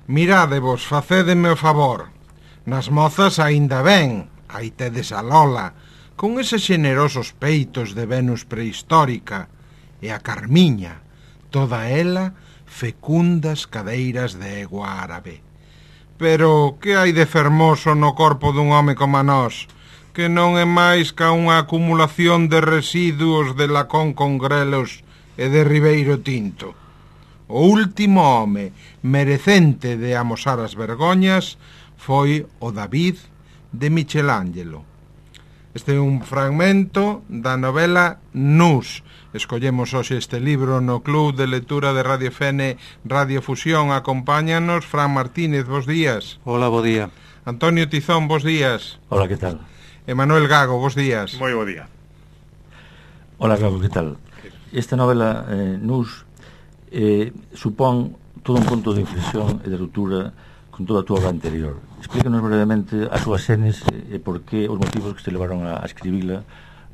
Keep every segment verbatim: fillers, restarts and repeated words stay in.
Mirádevos, facédeme o favor. Nas mozas aínda ben, aí tedes a Lola, con eses xenerosos peitos de Venus prehistórica, e a Carmiña, toda ela fecundas cadeiras de egua árabe. Pero que hai de fermoso no corpo dun home como nós, que non é máis ca unha acumulación de residuos de lacón con grelos e de ribeiro tinto? O último home merecente de amosar as vergoñas foi o David de Michelangelo. Este é un fragmento da novela Nus. Escollemos hoxe este libro no Club de Lectura de Radio F N Radio Fusión. Acompáñanos Fran Martínez, bos días. Hola, bo día. Antonio Tizón, bos días. Hola, que tal? Emanuel Gago, bos días. Moi bo día. Hola, Gago, que tal? Esta novela, eh, Nus, eh, supón todo un punto de inflexión e de ruptura con toda a túa obra anterior. Explícanos brevemente as súas xenes e por que os motivos que te levaron a escribila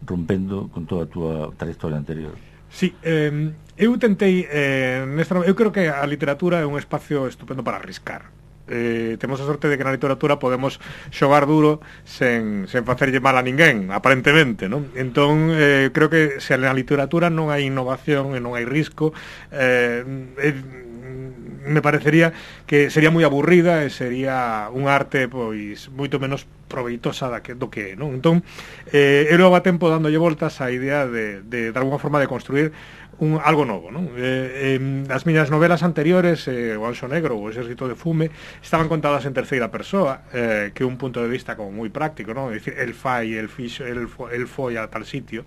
rompendo con toda a túa trayectoria anterior. Sí, eh, eu tentei eh, nesta, eu creo que a literatura é un espacio estupendo para arriscar. Eh, temos a sorte de que na literatura podemos xogar duro sen, sen facerlle mal a ninguén, aparentemente, non? Entón, eh, creo que se na literatura non hai innovación e non hai risco, eh, eh, me parecería que sería moi aburrida e sería un arte pois moito menos proveitosa da que, do que, non? Entón, eh, eu levo a tempo dándolle voltas á idea de, de, de alguma forma de construir un, algo novo, non? Eh, eh, as miñas novelas anteriores, eh, o Anxo Negro ou o Exército de Fume, estaban contadas en terceira persoa, eh, que é un punto de vista como moi práctico, non? É dicir, el fai, el fixo, el, fo, el foi a tal sitio,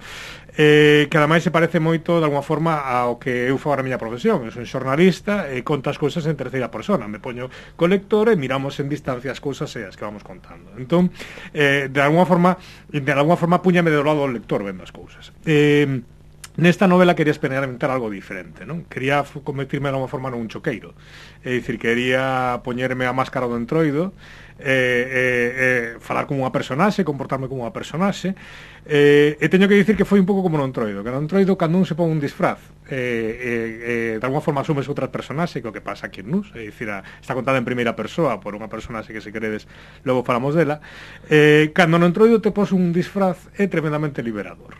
eh, que ademais se parece moito de alguma forma ao que eu fago na miña profesión. Eu son xornalista e conto as cousas en terceira persona, me poño co lector e miramos en distancia as cousas e as que vamos contando. Entón, eh, de alguma forma de alguma forma puñame do lado do lector vendo as cousas. Eh, Nesta novela quería experimentar algo diferente, non? Quería convertirme de alguma forma nun choqueiro. É dicir, quería poñerme a máscara do entroido, eh, eh, eh, falar como unha personaxe, comportarme como unha personaxe, eh, e teño que dicir que foi un pouco como no entroido, que no entroido cando un se pon un disfraz, eh, eh, eh, de alguma forma asumes outra personaxe, que o que pasa aquí en Nus, é dicir, a, está contada en primeira persoa por unha personaxe que se queredes, logo falamos dela, eh, cando no entroido te pos un disfraz é tremendamente liberador.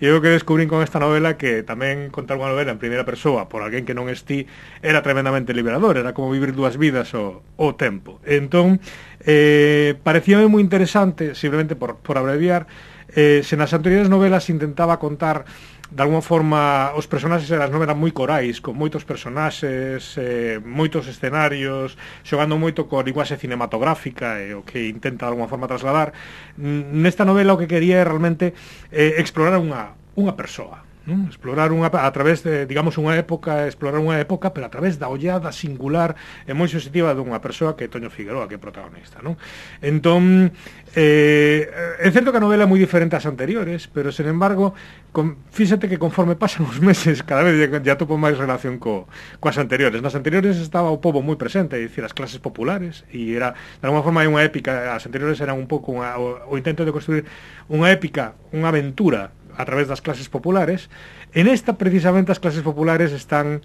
E eu que descubrín con esta novela que tamén contar unha novela en primeira persoa por alguén que non esti era tremendamente liberador, era como vivir dúas vidas ao, ao tempo. Entón, eh, parecíame moi interesante, simplemente por, por abreviar, eh, se nas anteriores novelas intentaba contar de alguma forma os personaxes eras non eran moi corais, con moitos personaxes, eh, moitos escenarios, xogando moito coa linguaxe cinematográfica e o que intenta de alguma forma trasladar. Nesta novela o que quería é realmente eh, explorar unha, unha persoa, non? Explorar unha, a través de, digamos, unha época, explorar unha época, pero a través da ollada singular e moi sensitiva dunha persoa que é Toño Figueroa, que é protagonista, non? Entón, eh, é certo que a novela é moi diferente ás anteriores, pero, sen embargo, con, fíxate que conforme pasan os meses, cada vez ya topo máis relación co, coas anteriores. Nas anteriores estaba o pobo moi presente, é dicir, as clases populares, e era, de alguma forma, unha épica, as anteriores eran un pouco unha, o, o intento de construir unha épica, unha aventura a través das clases populares. En esta, precisamente, as clases populares están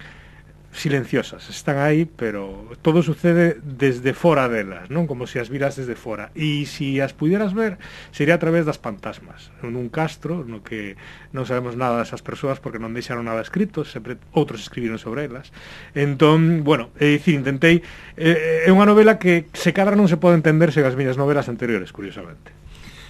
silenciosas, están aí, pero todo sucede desde fora delas, non? Como se as viras desde fora. E se as pudieras ver, sería a través das fantasmas, nun castro no que non sabemos nada desas persoas porque non deixaron nada escrito, sempre outros escribiron sobre elas. Entón, bueno, é dicir, intentei, é unha novela que se cadra non se pode entender sen as miñas novelas anteriores, curiosamente.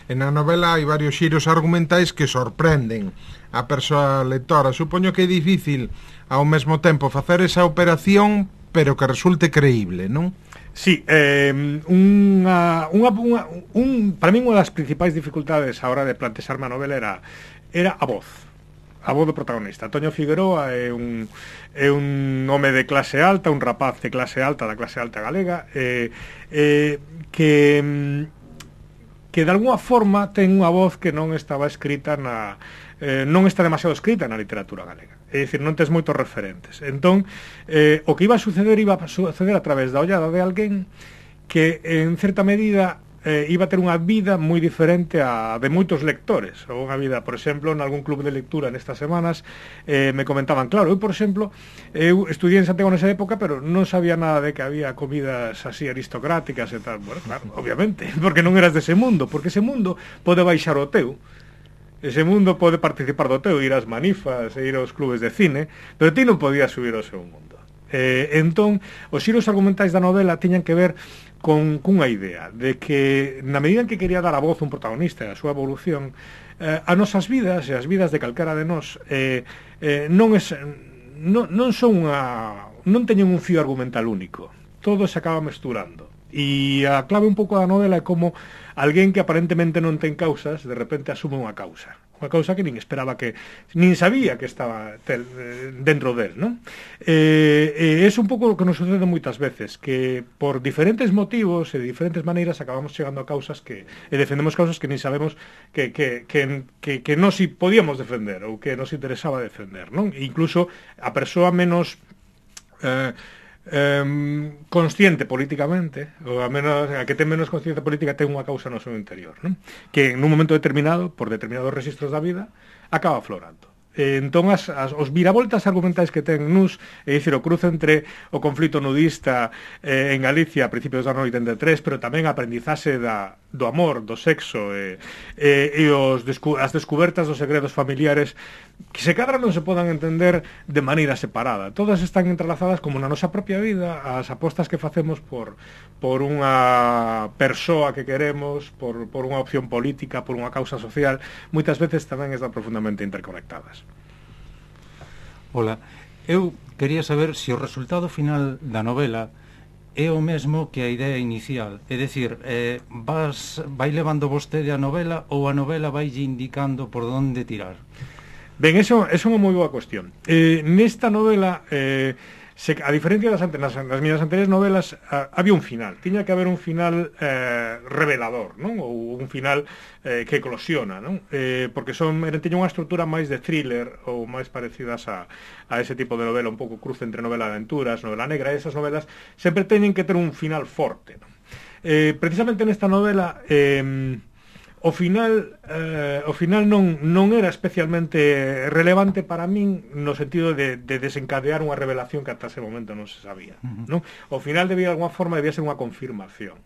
En a novela hai varios xiros argumentais que sorprenden a persoa lectora. Supoño que é difícil ao mesmo tempo facer esa operación, pero que resulte creíble, non? Sí, eh, unha, unha, unha, un, para mí unha das principais dificultades a hora de plantexarme a novela era, era a voz. A voz do protagonista. Toño Figueroa é un, é un home de clase alta, un rapaz de clase alta, da clase alta galega, eh, eh, que... que de alguna forma ten unha voz que non estaba escrita na eh, non está demasiado escrita na literatura galega. É dicir, non tes moitos referentes. Entón, eh, o que iba a suceder iba a suceder a través da ollada de alguén que en certa medida eh, iba a ter unha vida moi diferente a de moitos lectores, ou unha vida, por exemplo, en algún club de lectura nestas semanas, eh, me comentaban, claro, eu, por exemplo, eu estudié en Santiago nesa época, pero non sabía nada de que había comidas así aristocráticas e tal. Bueno, claro, obviamente, porque non eras dese mundo, porque ese mundo pode baixar o teu, ese mundo pode participar do teu, ir ás manifas e ir aos clubes de cine, pero ti non podías subir ao seu mundo. Eh, entón, os xiros argumentais da novela tiñan que ver con cunha idea de que na medida en que quería dar a voz un protagonista e a súa evolución, eh, as nosas vidas e as vidas de calquera de nós eh, eh, non es non, non son unha non teñen un fío argumental único, todo se acaba mesturando, e a clave un pouco da novela é como alguén que aparentemente non ten causas de repente asume unha causa unha causa que nin esperaba, que nin sabía que estaba tel, dentro del, non? Eh, eh, é un pouco o que nos sucede moitas veces, que por diferentes motivos e de diferentes maneiras acabamos chegando a causas que e defendemos causas que nin sabemos que, que, que, que, que non si podíamos defender ou que nos interesaba defender, non? E incluso a persoa menos eh, eh, consciente políticamente, ou a menos a que ten menos consciencia política, ten unha causa no seu interior, non? Que en un momento determinado, por determinados registros da vida, acaba aflorando. Eh, entón, as, as, os viravoltas argumentais que ten Nus, é dicir, o cruce entre o conflito nudista eh, en Galicia a principios do ano oitenta e tres, pero tamén a aprendizaxe da, do amor, do sexo e, e, e os descu as descubertas dos segredos familiares que se cadra non se podan entender de maneira separada. Todas están entrelazadas como na nosa propia vida, as apostas que facemos por, por unha persoa que queremos, por, por unha opción política, por unha causa social, moitas veces tamén están profundamente interconectadas. Ola, eu quería saber se o resultado final da novela é o mesmo que a idea inicial, é dicir, eh, vas, vai levando vostede a novela ou a novela vai indicando por onde tirar? Ben, eso é unha moi boa cuestión. Eh, nesta novela, eh, se, a diferencia das, nas, nas miñas anteriores novelas, a, había un final. Tiña que haber un final eh, revelador, non? Ou un final eh, que eclosiona, non? Eh, porque son, teña unha estrutura máis de thriller ou máis parecidas a, a ese tipo de novela, un pouco cruce entre novela de aventuras, novela negra. Esas novelas sempre teñen que ter un final forte, non? Eh, precisamente nesta novela... Eh, O final eh, o final non, non era especialmente relevante para min no sentido de, de desencadear unha revelación que ata ese momento non se sabía, uh-huh. non? O final debía de alguma forma debía ser unha confirmación.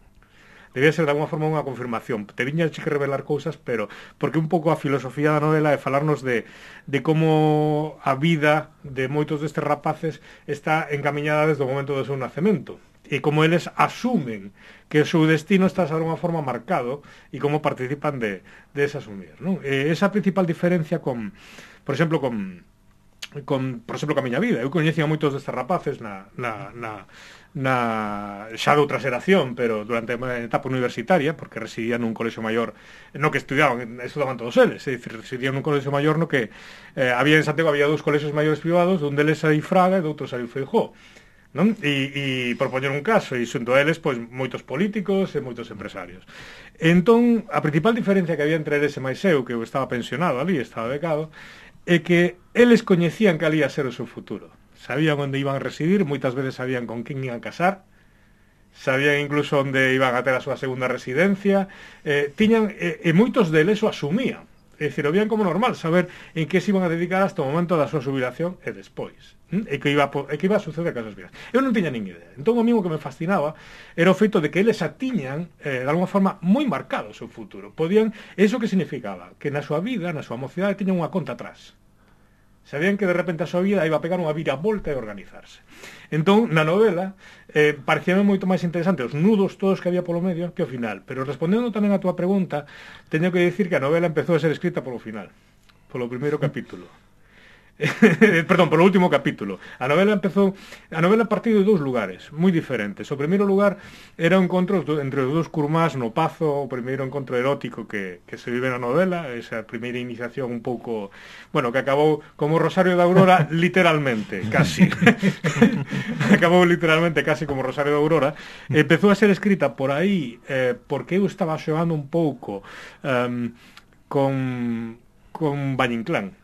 Debía ser de alguma forma unha confirmación. Te viña que revelar cousas, pero porque un pouco a filosofía da novela é falarnos de, de como a vida de moitos destes rapaces está encamiñada desde o momento do seu nacemento. E como eles asumen que o seu destino está de alguma forma marcado e como participan de, de ese asumir, non? E esa principal diferencia con, por exemplo, con, con por exemplo, con a miña vida. Eu coñecía moitos destes rapaces na, na, na, na xa de outra xeración, pero durante a etapa universitaria, porque residían nun colexio maior, no que estudiaban, estudaban todos eles, é dicir, residían nun colexio maior no que eh, había en Santiago, había dous colexios maiores privados, dun deles saiu Fraga e doutro saiu Feijóo, non? E, e por poñer un caso, e xunto a eles, pois, moitos políticos e moitos empresarios. Entón, a principal diferencia que había entre eles e máis eu, que eu estaba pensionado ali, estaba becado, é que eles coñecían que ali ia ser o seu futuro. Sabían onde iban a residir, moitas veces sabían con quen iban a casar, sabían incluso onde iban a ter a súa segunda residencia, eh, tiñan, e, e moitos deles o asumían. É dicir, o vían como normal saber en que se iban a dedicar hasta o momento da súa jubilación e despois, ¿m? e que iba a, e que iba a suceder a casas vidas. Eu non tiña nin idea. Entón, o mismo que me fascinaba era o feito de que eles a tiñan eh, de alguma forma moi marcado o seu futuro. Podían, eso que significaba? Que na súa vida, na súa mocidade, tiñan unha conta atrás. Sabían que de repente a súa vida iba a pegar unha viravolta e organizarse. Entón, na novela, eh, parecíame moito máis interesante os nudos todos que había polo medio que o final. Pero respondendo tamén a túa pregunta, teño que dicir que a novela empezou a ser escrita polo final, polo primeiro capítulo. Perdón, polo último capítulo. A novela empezou, a novela partiu de dous lugares moi diferentes. O primeiro lugar era o encontro entre os dous curmás no Pazo, o primeiro encontro erótico que, que se vive na novela, esa primeira iniciación un pouco, bueno, que acabou como Rosario da Aurora literalmente, casi. Acabou literalmente casi como Rosario da Aurora. Empezou a ser escrita por aí eh, porque eu estaba xogando un pouco um, con con Valle Inclán.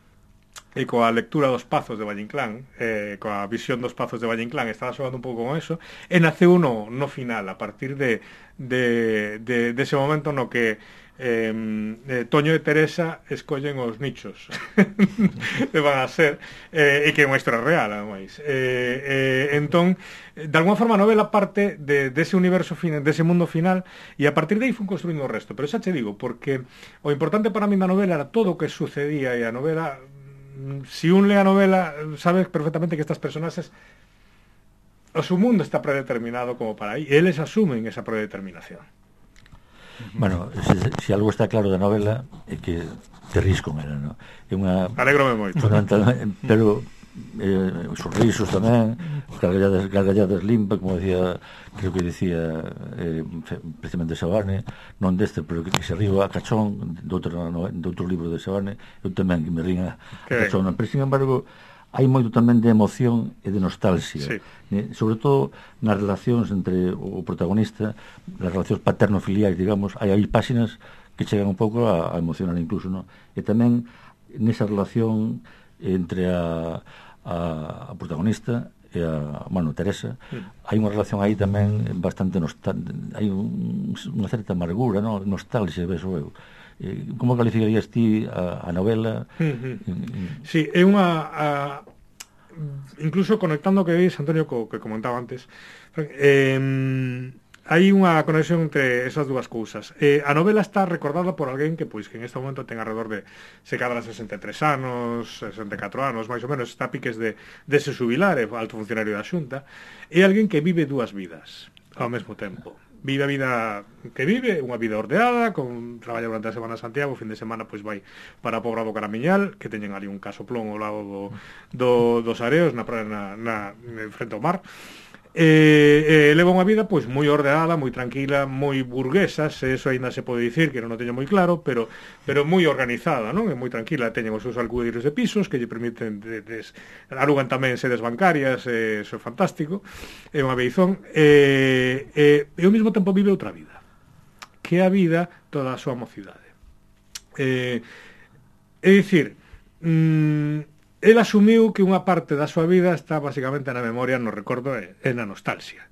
e coa lectura dos Pazos de Valle Inclán, eh, coa visión dos Pazos de Valle Inclán, estaba xogando un pouco con eso, e naceu no, no final, a partir de, de, de, de ese momento no que Eh, eh, Toño e Teresa escollen os nichos que van a ser eh, e que é unha historia real ademais. Eh, eh, entón de alguma forma a novela parte de, de ese universo final, de ese mundo final, e a partir de aí fun construindo o resto, pero xa te digo, porque o importante para mí da novela era todo o que sucedía, e a novela, si un lee a novela sabes perfectamente que estas personaxes, o su mundo está predeterminado como para aí, e eles asumen esa predeterminación. Bueno, se, se algo está claro da novela é que te ris con ela, no? É unha... Alégrome moito. Pero eh, sorrisos tamén, gargalladas, gargalladas limpas, como decía, creo que decía eh, precisamente Sabane, non deste, pero que, que se arriba a cachón de outro, no, de outro libro de Sabane, eu tamén que me ringa a cachón, pero sin embargo hai moito tamén de emoción e de nostalgia, sí. eh, sobre todo nas relacións entre o protagonista, nas relacións paterno-filiais, digamos, hai aí páxinas que chegan un pouco a, a emocionar incluso, no? E tamén nesa relación entre a, a, a protagonista e a, bueno, Teresa, sí. Hai unha relación aí tamén bastante nostálgica, hai un, unha certa amargura, no? Nostalgia, beso eu. Eh, como calificarías ti a, a novela? Uh-huh. Sí, é unha a, incluso conectando o que dis, Antonio, co que comentaba antes, eh, hai unha conexión entre esas dúas cousas. Eh, a novela está recordada por alguén que pois que en este momento ten alrededor de se cadra sesenta e tres anos, sesenta e catro anos, máis ou menos, está a piques de, de se xubilar, é alto funcionario da Xunta, é alguén que vive dúas vidas ao mesmo tempo. Vive a vida que vive, unha vida ordeada, con traballa durante a semana en Santiago, o fin de semana pois vai para a Pobra do Caramiñal, que teñen ali un casoplón ao lado do, do, dos areos, na praia, na, na, frente ao mar. E, e leva unha vida pois moi ordenada, moi tranquila, moi burguesa, se eso aínda se pode dicir, que non o teño moi claro, pero pero moi organizada, non? É moi tranquila, teñen os seus alcudiros de pisos que lle permiten de, de, alugan tamén sedes bancarias, e eso é fantástico, é unha beizón, e, e, e ao mesmo tempo vive outra vida, que é a vida toda a súa mocidade. Eh, é dicir, mmm, el asumiu que unha parte da súa vida está basicamente na memoria, no recordo e, e na nostalgia.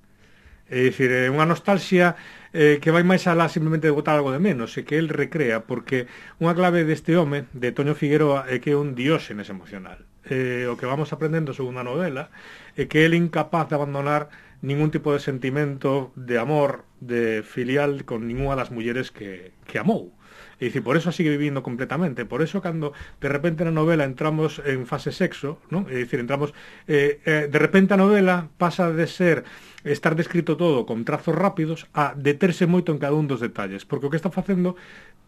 É dicir, é unha nostalgia eh, que vai máis alá simplemente de botar algo de menos, e que el recrea, porque unha clave deste home, de Toño Figueroa, é que é un dióxenes emocional. Eh, o que vamos aprendendo según a novela é que el é incapaz de abandonar ningún tipo de sentimento de amor, de filial con ninguna das mulleres que, que amou. É dicir, por eso sigue vivindo completamente. Por eso, cando de repente na novela entramos en fase sexo, ¿no? É dicir, entramos eh, eh, de repente a novela pasa de ser estar descrito todo con trazos rápidos a deterse moito en cada un dos detalles, porque o que está facendo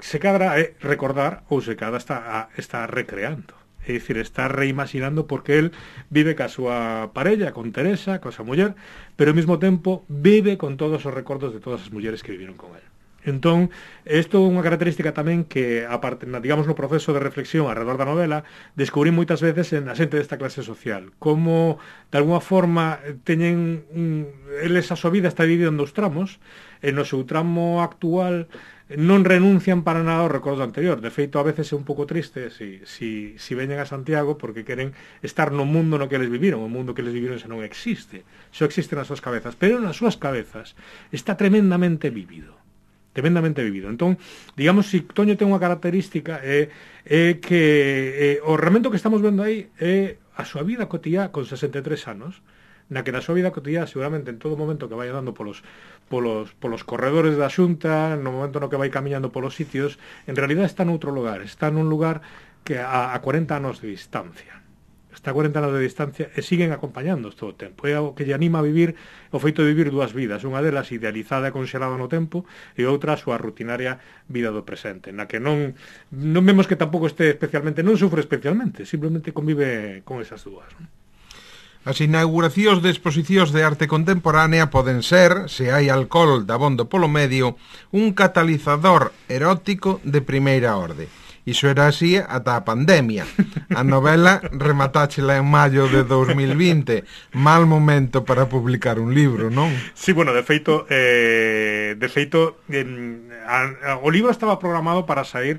se cadra é recordar ou se cadra está, a, está recreando. É dicir, está reimaginando, porque el vive ca súa parella, con Teresa, ca súa muller, pero ao mesmo tempo vive con todos os recordos de todas as mulleres que viviron con él. Entón, isto é unha característica tamén que, aparte, digamos, no proceso de reflexión alrededor da novela, descubrí moitas veces en a xente desta clase social, como, de alguna forma, teñen un, eles a súa vida está dividida en dous tramos, e no seu tramo actual non renuncian para nada ao recordo anterior. De feito, a veces é un pouco triste si, si, si veñen a Santiago, porque queren estar no mundo no que eles viviron. O mundo que eles viviron xa non existe, só existe nas súas cabezas, pero nas súas cabezas está tremendamente vivido. tremendamente vivido. Entón, digamos, si Toño ten unha característica é, é que é, o realmente que estamos vendo aí é a súa vida cotiá con sesenta e tres anos, na que na súa vida cotiá seguramente en todo momento que vai andando polos, polos, polos corredores da Xunta, no momento no que vai camiñando polos sitios, en realidad está noutro lugar, está nun lugar que a, a cuarenta anos de distancia. Está a cuarenta anos de distancia e siguen acompañándoos todo o tempo. É o que lle anima a vivir o feito de vivir dúas vidas, unha delas idealizada e conxelada no tempo, e outra a súa rutinaria vida do presente, na que non non vemos que tampouco este especialmente, non sufre especialmente, simplemente convive con esas dúas, non? As inauguracións de exposicións de arte contemporánea poden ser, se hai alcohol dabondo polo medio, un catalizador erótico de primeira orde. Iso era así ata a pandemia. A novela rematáchela en maio de dos mil vinte. Mal momento para publicar un libro, non? Sí, bueno, de feito, eh, de feito, eh, a, a, o libro estaba programado para sair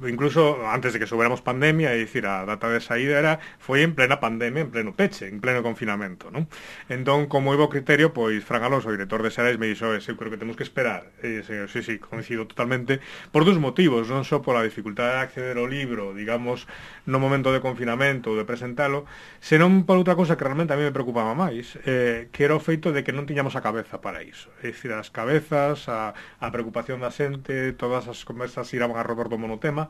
incluso antes de que soubéramos pandemia, é dicir, a data de saída era foi en plena pandemia, en pleno peche, en pleno confinamento, non? Entón, como iba o criterio, pois Fran Alonso, o director de Xerais, me dixo, eu creo que temos que esperar. E, sí, sí, sí, coincido totalmente, por dous motivos, non só pola dificultade de acceder ao libro, digamos, no momento de confinamento ou de presentalo, senón por outra cousa que realmente a mí me preocupaba máis, eh, que era o feito de que non tiñamos a cabeza para iso. É dicir, as cabezas, a, a preocupación da xente, todas as conversas iraban a redor do monotema,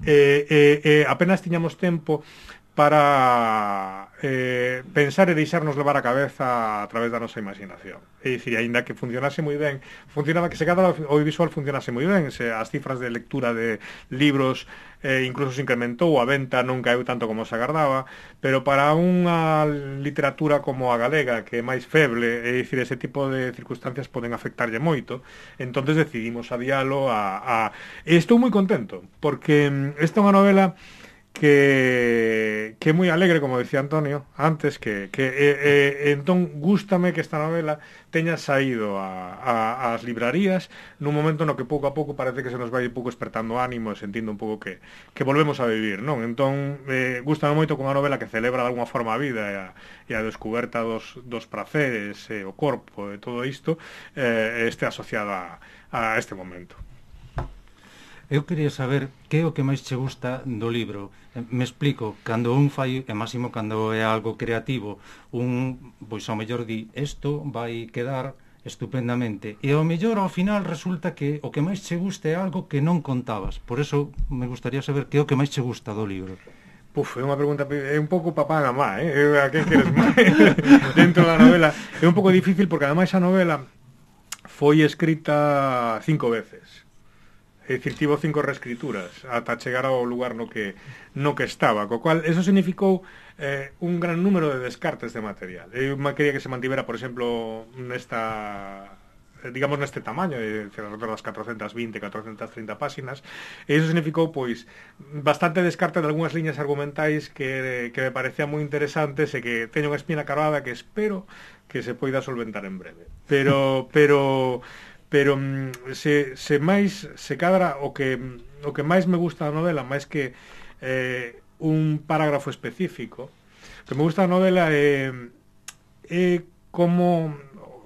e eh, eh, apenas tiñamos tempo para eh, pensar e deixarnos levar a cabeza a través da nosa imaginación. É dicir, aínda que funcionase moi ben, funcionaba que se cada audiovisual funcionase moi ben, se as cifras de lectura de libros eh, incluso se incrementou, a venta non caeu tanto como se agardaba, pero para unha literatura como a galega, que é máis feble, é dicir, ese tipo de circunstancias poden afectarlle moito, entonces decidimos adialo a, a... E estou moi contento, porque esta é unha novela que que é moi alegre, como decía Antonio antes, que, que e, e, entón gústame que esta novela teña saído a, a, as librarías nun momento no que pouco a pouco parece que se nos vai un pouco despertando ánimo e sentindo un pouco que, que volvemos a vivir, non? Entón, eh, gústame moito con unha novela que celebra de alguna forma a vida e a, e a descoberta dos, dos praceres e o corpo e todo isto eh, este asociada a, a este momento. Eu quería saber que é o que máis che gusta do libro. Me explico, cando un fai, e máximo cando é algo creativo, un, pois ao mellor di, isto vai quedar estupendamente, e ao mellor ao final resulta que o que máis che gusta é algo que non contabas. Por eso me gustaría saber que é o que máis che gusta do libro. Puf, é unha pregunta, é un pouco papá e mamá, eh? A que queres máis? Dentro da novela é un pouco difícil porque ademais a novela foi escrita cinco veces. É dicir, tivo cinco reescrituras ata chegar ao lugar no que no que estaba, co cual eso significou eh, un gran número de descartes de material. Eu me quería que se mantivera, por exemplo, nesta digamos neste tamaño, de alrededor das catrocentas vinte, catrocentas trinta páxinas, e iso significou pois bastante descarte de algunhas liñas argumentais que, que me parecían moi interesantes e que teño unha espina carvada que espero que se poida solventar en breve. Pero pero pero se, se máis se cadra o que o que máis me gusta da novela, máis que eh, un parágrafo específico, o que me gusta da novela é é como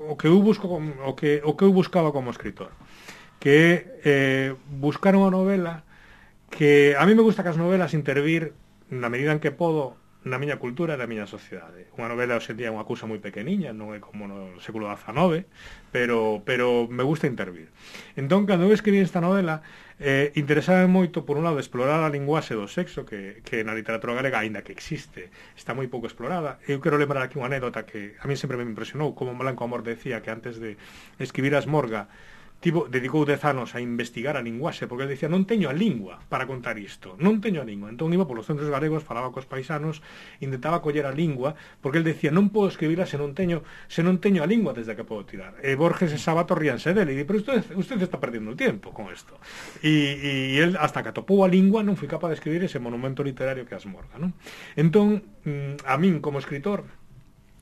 o que eu busco o que o que eu buscaba como escritor, que é eh, buscar unha novela que a mí me gusta que as novelas intervir na medida en que podo na miña cultura e na miña sociedade. Unha novela hoxe en día é unha cousa moi pequeniña, non é como no século dezanove, pero, pero me gusta intervir. Entón, cando eu escribí esta novela, eh, interesaba moito, por un lado, explorar a linguaxe do sexo, que, que na literatura galega, aínda que existe, está moi pouco explorada. Eu quero lembrar aquí unha anécdota que a mí sempre me impresionou, como Blanco Amor decía que antes de escribir a Esmorga, Tivo, dedicou dez anos a investigar a linguaxe, porque ele dicía, non teño a lingua para contar isto, non teño a lingua. Entón iba polos centros galegos, falaba cos paisanos, intentaba coller a lingua, porque ele decía, non podo escribirla se non teño se non teño a lingua desde que podo tirar. E Borges e Sabato ríanse dele, e di, pero usted, usted está perdendo o tiempo con isto. E, e el, hasta que atopou a lingua, non foi capaz de escribir ese monumento literario que é a Esmorga, non? Entón, a min, como escritor,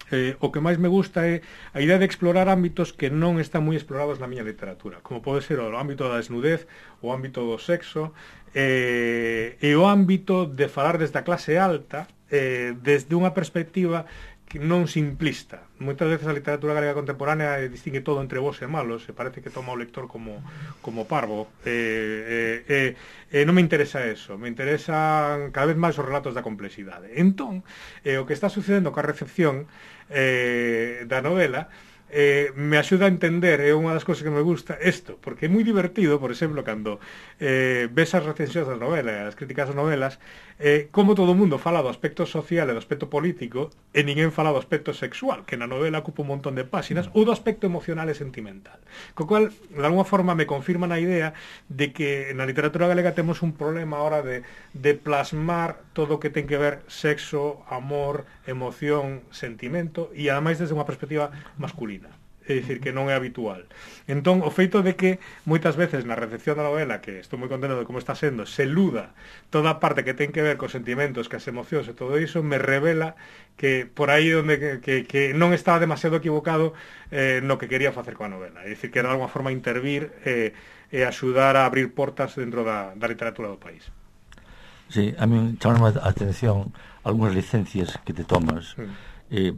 Eh, o que máis me gusta é a idea de explorar ámbitos que non están moi explorados na miña literatura, como pode ser o ámbito da desnudez, o ámbito do sexo, eh, e o ámbito de falar desde a clase alta, eh, desde unha perspectiva que non simplista. Moitas veces a literatura galega contemporánea distingue todo entre bons e malos, e parece que toma o lector como, como parvo. Eh, eh, eh, non me interesa eso, me interesan cada vez máis os relatos da complexidade. Entón, eh, o que está sucedendo coa recepción eh, da novela eh, me axuda a entender, é unha das cousas que me gusta isto, porque é moi divertido, por exemplo, cando eh, ves as recensións da novela, as críticas das novelas, eh, como todo o mundo fala do aspecto social e do aspecto político e ninguén fala do aspecto sexual, que na novela ocupa un montón de páxinas, ou do aspecto emocional e sentimental, co cual, de alguma forma, me confirma na idea de que na literatura galega temos un problema ahora de, de plasmar todo o que ten que ver sexo, amor, emoción, sentimento, e ademais desde unha perspectiva masculina. É dicir, que non é habitual. Entón, o feito de que moitas veces na recepción da novela, que estou moi contento de como está sendo, se luda toda a parte que ten que ver cos sentimentos, que as emocións e todo iso, me revela que por aí onde que, que, que non estaba demasiado equivocado eh, no que quería facer coa novela. É dicir, que era de alguma forma intervir e, e axudar a abrir portas dentro da, da literatura do país. Sí, a mí chama a atención algunhas licencias que te tomas, mm. eh,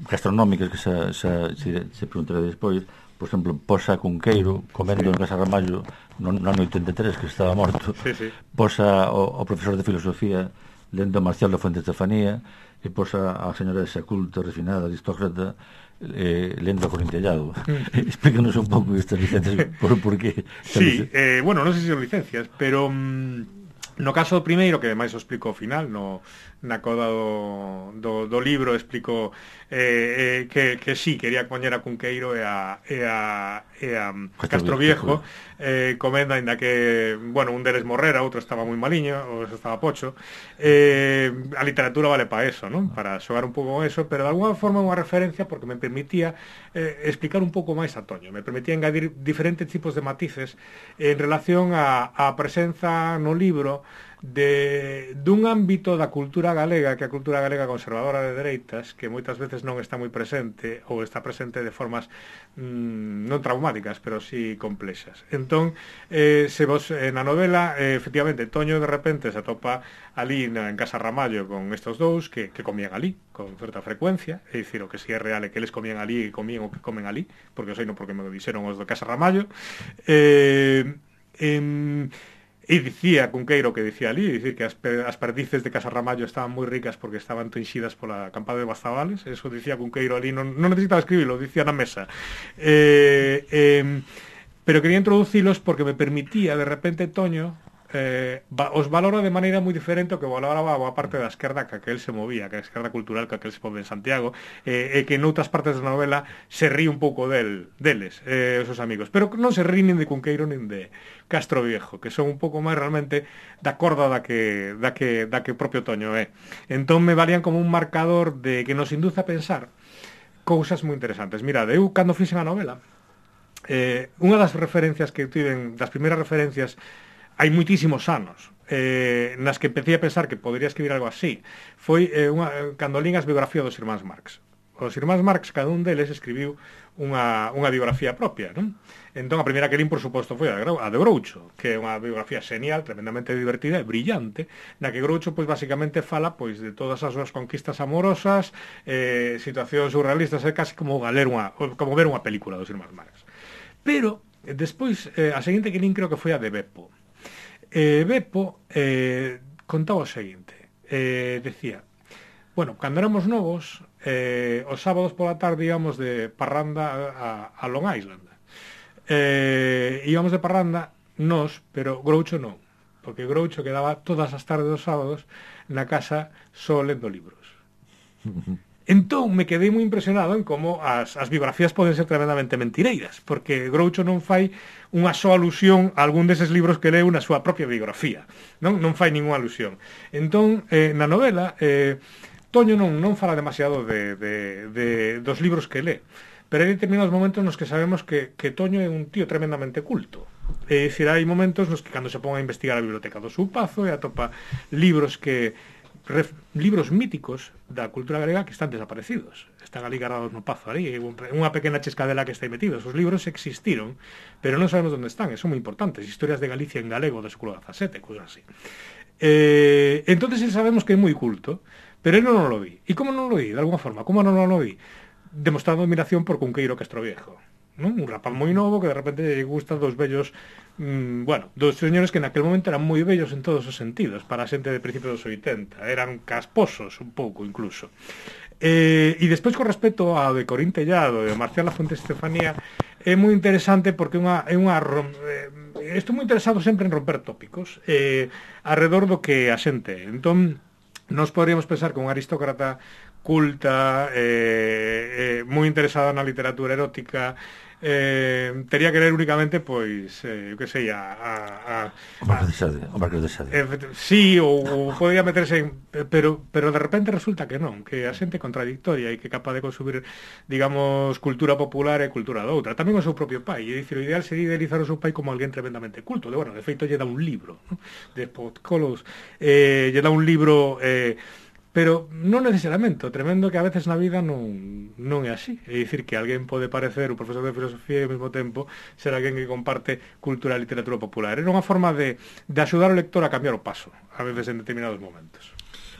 gastronómicas que xa, xa, se, se preguntaré despois. Por exemplo, posa Cunqueiro comendo sí. en Casa Ramallo no, no ano oitenta e tres, que estaba morto. Sí, sí. Posa o, o profesor de filosofía lendo a Marcial da Fuente Estefanía, e posa a señora esa culta, refinada, aristócrata, eh, lendo a Corintellado. Mm. Explícanos un pouco estas licencias, por, por qué. Sí, eh, bueno, non sei se son licencias, pero mm, no caso do primeiro, que ademais o explico ao final, no, na coda do, do, do libro explico eh, eh, que, que sí, quería poñer a Cunqueiro e a, e a, e a Castro Viejo eh, comendo, ainda que, bueno, un deles morrera, outro estaba moi maliño, ou estaba pocho. Eh, a literatura vale para eso, ¿no? Para xogar un pouco con eso, pero de alguna forma unha referencia porque me permitía eh, explicar un pouco máis a Toño, me permitía engadir diferentes tipos de matices en relación a, a presenza no libro de dun ámbito da cultura galega, que a cultura galega conservadora de dereitas, que moitas veces non está moi presente ou está presente de formas mmm, non traumáticas, pero sí complexas. Entón, eh, se vos eh, na novela, eh, efectivamente, Toño de repente se atopa ali na, en Casa Ramallo con estos dous que, que comían ali con certa frecuencia, é dicir, o que si é real é que eles comían ali e comían o que comen ali, porque eu sei non porque me lo dixeron os de Casa Ramallo. Eh, eh, E dicía Cunqueiro que dicía ali, dicir que as, as perdices de Casa Ramallo estaban moi ricas porque estaban tenxidas pola campada de Bazabales. Eso dicía Cunqueiro ali, non, non necesitaba escribirlo, dicía na mesa. Eh, eh, pero quería introducilos porque me permitía, de repente, Toño, eh, os valora de maneira moi diferente o que valoraba a parte da esquerda que aquel se movía, que a esquerda cultural que aquel se move en Santiago, e eh, que en outras partes da novela se rí un pouco del, deles, eh, os seus amigos, pero non se rí nin de Cunqueiro nin de Castro Viejo, que son un pouco máis realmente da corda da que, da que, da que propio Toño é. Entón me valían como un marcador de que nos induce a pensar cousas moi interesantes. Mirad, eu cando fixen a novela, eh, unha das referencias que tiven, das primeiras referencias hai moitísimos anos eh, nas que empecé a pensar que podría escribir algo así foi eh, unha, cando lín as biografías dos irmáns Marx. Os irmáns Marx, cada un deles escribiu unha, unha biografía propia, non? Entón a primeira que lín, por suposto, foi a de, a de Groucho, que é unha biografía genial, tremendamente divertida e brillante, na que Groucho, pois, basicamente fala, pois, de todas as súas conquistas amorosas, eh, situacións surrealistas, é casi como ler unha, como ver unha película dos irmáns Marx. Pero, despois, eh, a seguinte que lín creo que foi a de Beppo. Eh, Beppo eh, contaba o seguinte, eh, decía, bueno, cando éramos novos, eh, os sábados pola tarde íbamos de parranda a, a Long Island. Eh, íbamos de parranda nos, pero Groucho non, porque Groucho quedaba todas as tardes dos sábados na casa só lendo libros. Entón me quedei moi impresionado en como as, as biografías poden ser tremendamente mentireiras, porque Groucho non fai unha soa alusión a algún deses libros que leu na súa propia biografía, non non fai ninguna alusión. Entón, eh, na novela, eh, Toño non, non fala demasiado de, de, de, dos libros que lé, pero hai determinados momentos nos que sabemos que, que Toño é un tío tremendamente culto. É dicir, hai momentos nos que cando se pon a investigar a biblioteca do seu pazo e atopa libros que Ref, libros míticos da cultura galega que están desaparecidos, están ali guardados no pazo, ali unha pequena chescadela que está aí metidos. Os libros existiron, pero non sabemos onde están, e son moi importantes, historias de Galicia en galego do século dezasete, cousas así. Eh, entonces sabemos que é moi culto, pero ele non lo vi. E como non lo vi, de alguna forma, como non lo vi? Demostrando admiración por Cunqueiro Castro Viejo, non? Un rapaz moi novo que de repente lle gustan dos bellos, mmm, bueno, dos señores que naquele momento eran moi bellos en todos os sentidos, para a xente de principios dos oitenta, eran casposos un pouco incluso. Eh, e despois con respecto ao de Corín Tellado e Marcial da Fuente Estefanía é moi interesante porque unha, é unha eh, estou moi interesado sempre en romper tópicos eh, alrededor do que a xente. Entón nos poderíamos pensar que un aristócrata culta, eh, eh, moi interesada na literatura erótica, eh, tería que ler únicamente, pois, eh, que sei, a... a, a o Marqués de Sade, o Marqués de Sade. Eh, sí, ou, ou podría meterse en... Pero, pero de repente resulta que non, que a xente é contradictoria e que é capaz de consumir, digamos, cultura popular e cultura doutra. Tamén o seu propio pai, é dicir, o ideal sería idealizar o seu pai como alguén tremendamente culto. De, bueno, de feito, lle dá un libro, ¿no? De Podcolos, eh, lle dá un libro... Eh, pero non necesariamente, o tremendo que a veces na vida non, non é así. É dicir, que alguén pode parecer un profesor de filosofía e ao mesmo tempo ser alguén que comparte cultura e literatura popular. Era unha forma de, de axudar o lector a cambiar o paso, a veces en determinados momentos.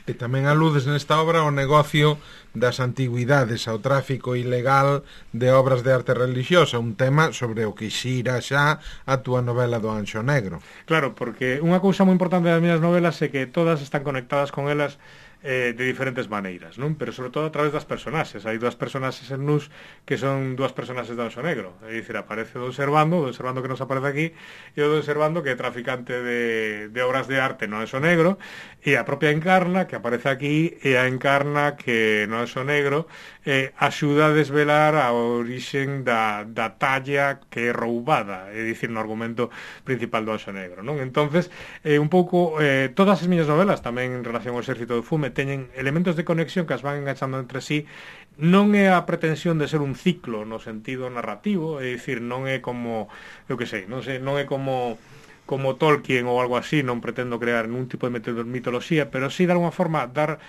E tamén aludes nesta obra ao negocio das antigüidades, ao tráfico ilegal de obras de arte religiosa, un tema sobre o que xira xa a túa novela do Anxo Negro. Claro, porque unha cousa moi importante das miñas novelas é que todas están conectadas con elas eh, de diferentes maneiras, non? Pero sobre todo a través das personaxes. Hai dúas personaxes en Nus que son dúas personaxes do Anxo Negro. É dicir, aparece o Don Servando, o Don Servando que nos aparece aquí, e o Don Servando que é traficante de, de obras de arte no Anxo Negro, e a propia Encarna que aparece aquí, e a Encarna que no Anxo Negro eh, axuda a desvelar a orixen da, da talla que é roubada, é dicir, no argumento principal do Anxo Negro, non? Entonces, eh, un pouco, eh, todas as miñas novelas, tamén en relación ao Exército do Fume, teñen elementos de conexión que as van enganchando entre sí. Non é a pretensión de ser un ciclo no sentido narrativo, é dicir, non é como, eu que sei, non sei, non é como como Tolkien ou algo así, non pretendo crear un tipo de mitoloxía, pero sí, de alguma forma, dar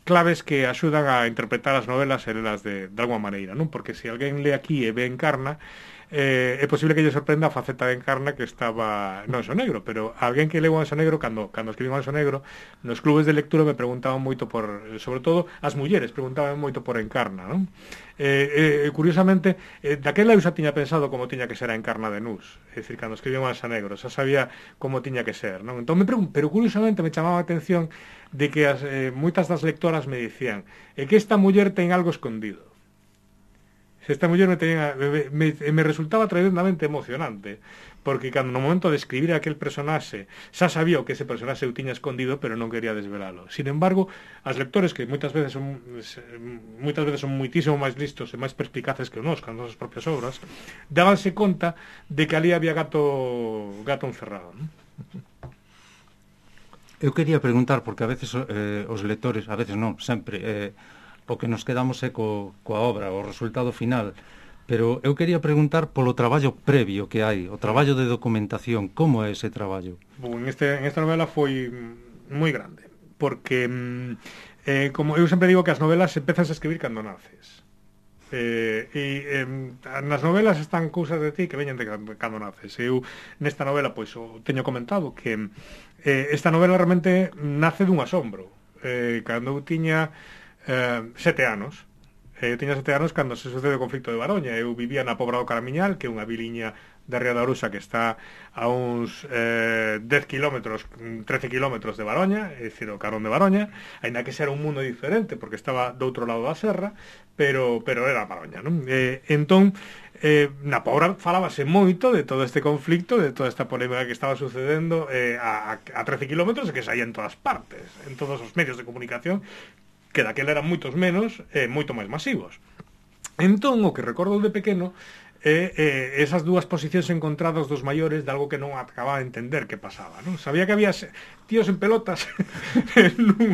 claves que axudan a interpretar as novelas e lelas de, de alguma maneira, non? Porque se alguén lee aquí e ve Encarna, eh, é posible que lle sorprenda a faceta de Encarna que estaba no Anxo Negro, pero alguén que leu o Anxo Negro, cando, cando escribí o Anxo Negro, nos clubes de lectura me preguntaban moito por, sobre todo as mulleres preguntaban moito por Encarna, non? Eh, eh, curiosamente, eh, daquela eu xa tiña pensado como tiña que ser a Encarna de Nus, é dicir, cando escribí o Anxo Negro xa sabía como tiña que ser, non? Entón me pregun- pero curiosamente me chamaba a atención de que as, eh, moitas das lectoras me dicían é que esta muller ten algo escondido. Esta muller me, tenía, me, me, me resultaba tremendamente emocionante, porque cando no momento de escribir aquel personaxe xa sabía o que ese personaxe eu tiña escondido, pero non quería desvelalo. Sin embargo, as lectores, que moitas veces son moitas veces son moitísimo máis listos e máis perspicaces que nós, cando as propias obras, dábanse conta de que ali había gato gato encerrado, non? Eu quería preguntar, porque a veces eh, os lectores, a veces non, sempre eh, o que nos quedamos é co, coa obra, o resultado final, pero eu quería preguntar polo traballo previo que hai, o traballo de documentación, como é ese traballo? Bom, en, este, en esta novela foi moi grande, porque eh, como eu sempre digo que as novelas empezas a escribir cando naces, eh, e eh, nas novelas están cousas de ti que veñen de cando naces. Eu nesta novela pois o teño comentado que eh, esta novela realmente nace dun asombro, eh, cando eu tiña Eh, sete anos. Eu eh, tiña sete anos cando se sucede o conflicto de Baroña. Eu vivía na Pobra do Caramiñal, que é unha viliña de Ría da Arusa que está a uns eh, dez kilómetros, trece kilómetros de Baroña, é dicir, o Carón de Baroña, aínda que era un mundo diferente, porque estaba do outro lado da serra, pero, pero era Baroña, non? Eh, entón, eh, na Pobra falábase moito de todo este conflicto, de toda esta polémica que estaba sucedendo eh, a, a trece kilómetros e que saía en todas partes, en todos os medios de comunicación, que daquela eran moitos menos e eh, moito máis masivos. Entón, o que recordo de pequeno é eh, esas dúas posicións encontradas dos maiores de algo que non acababa de entender que pasaba, non? Sabía que había tíos en pelotas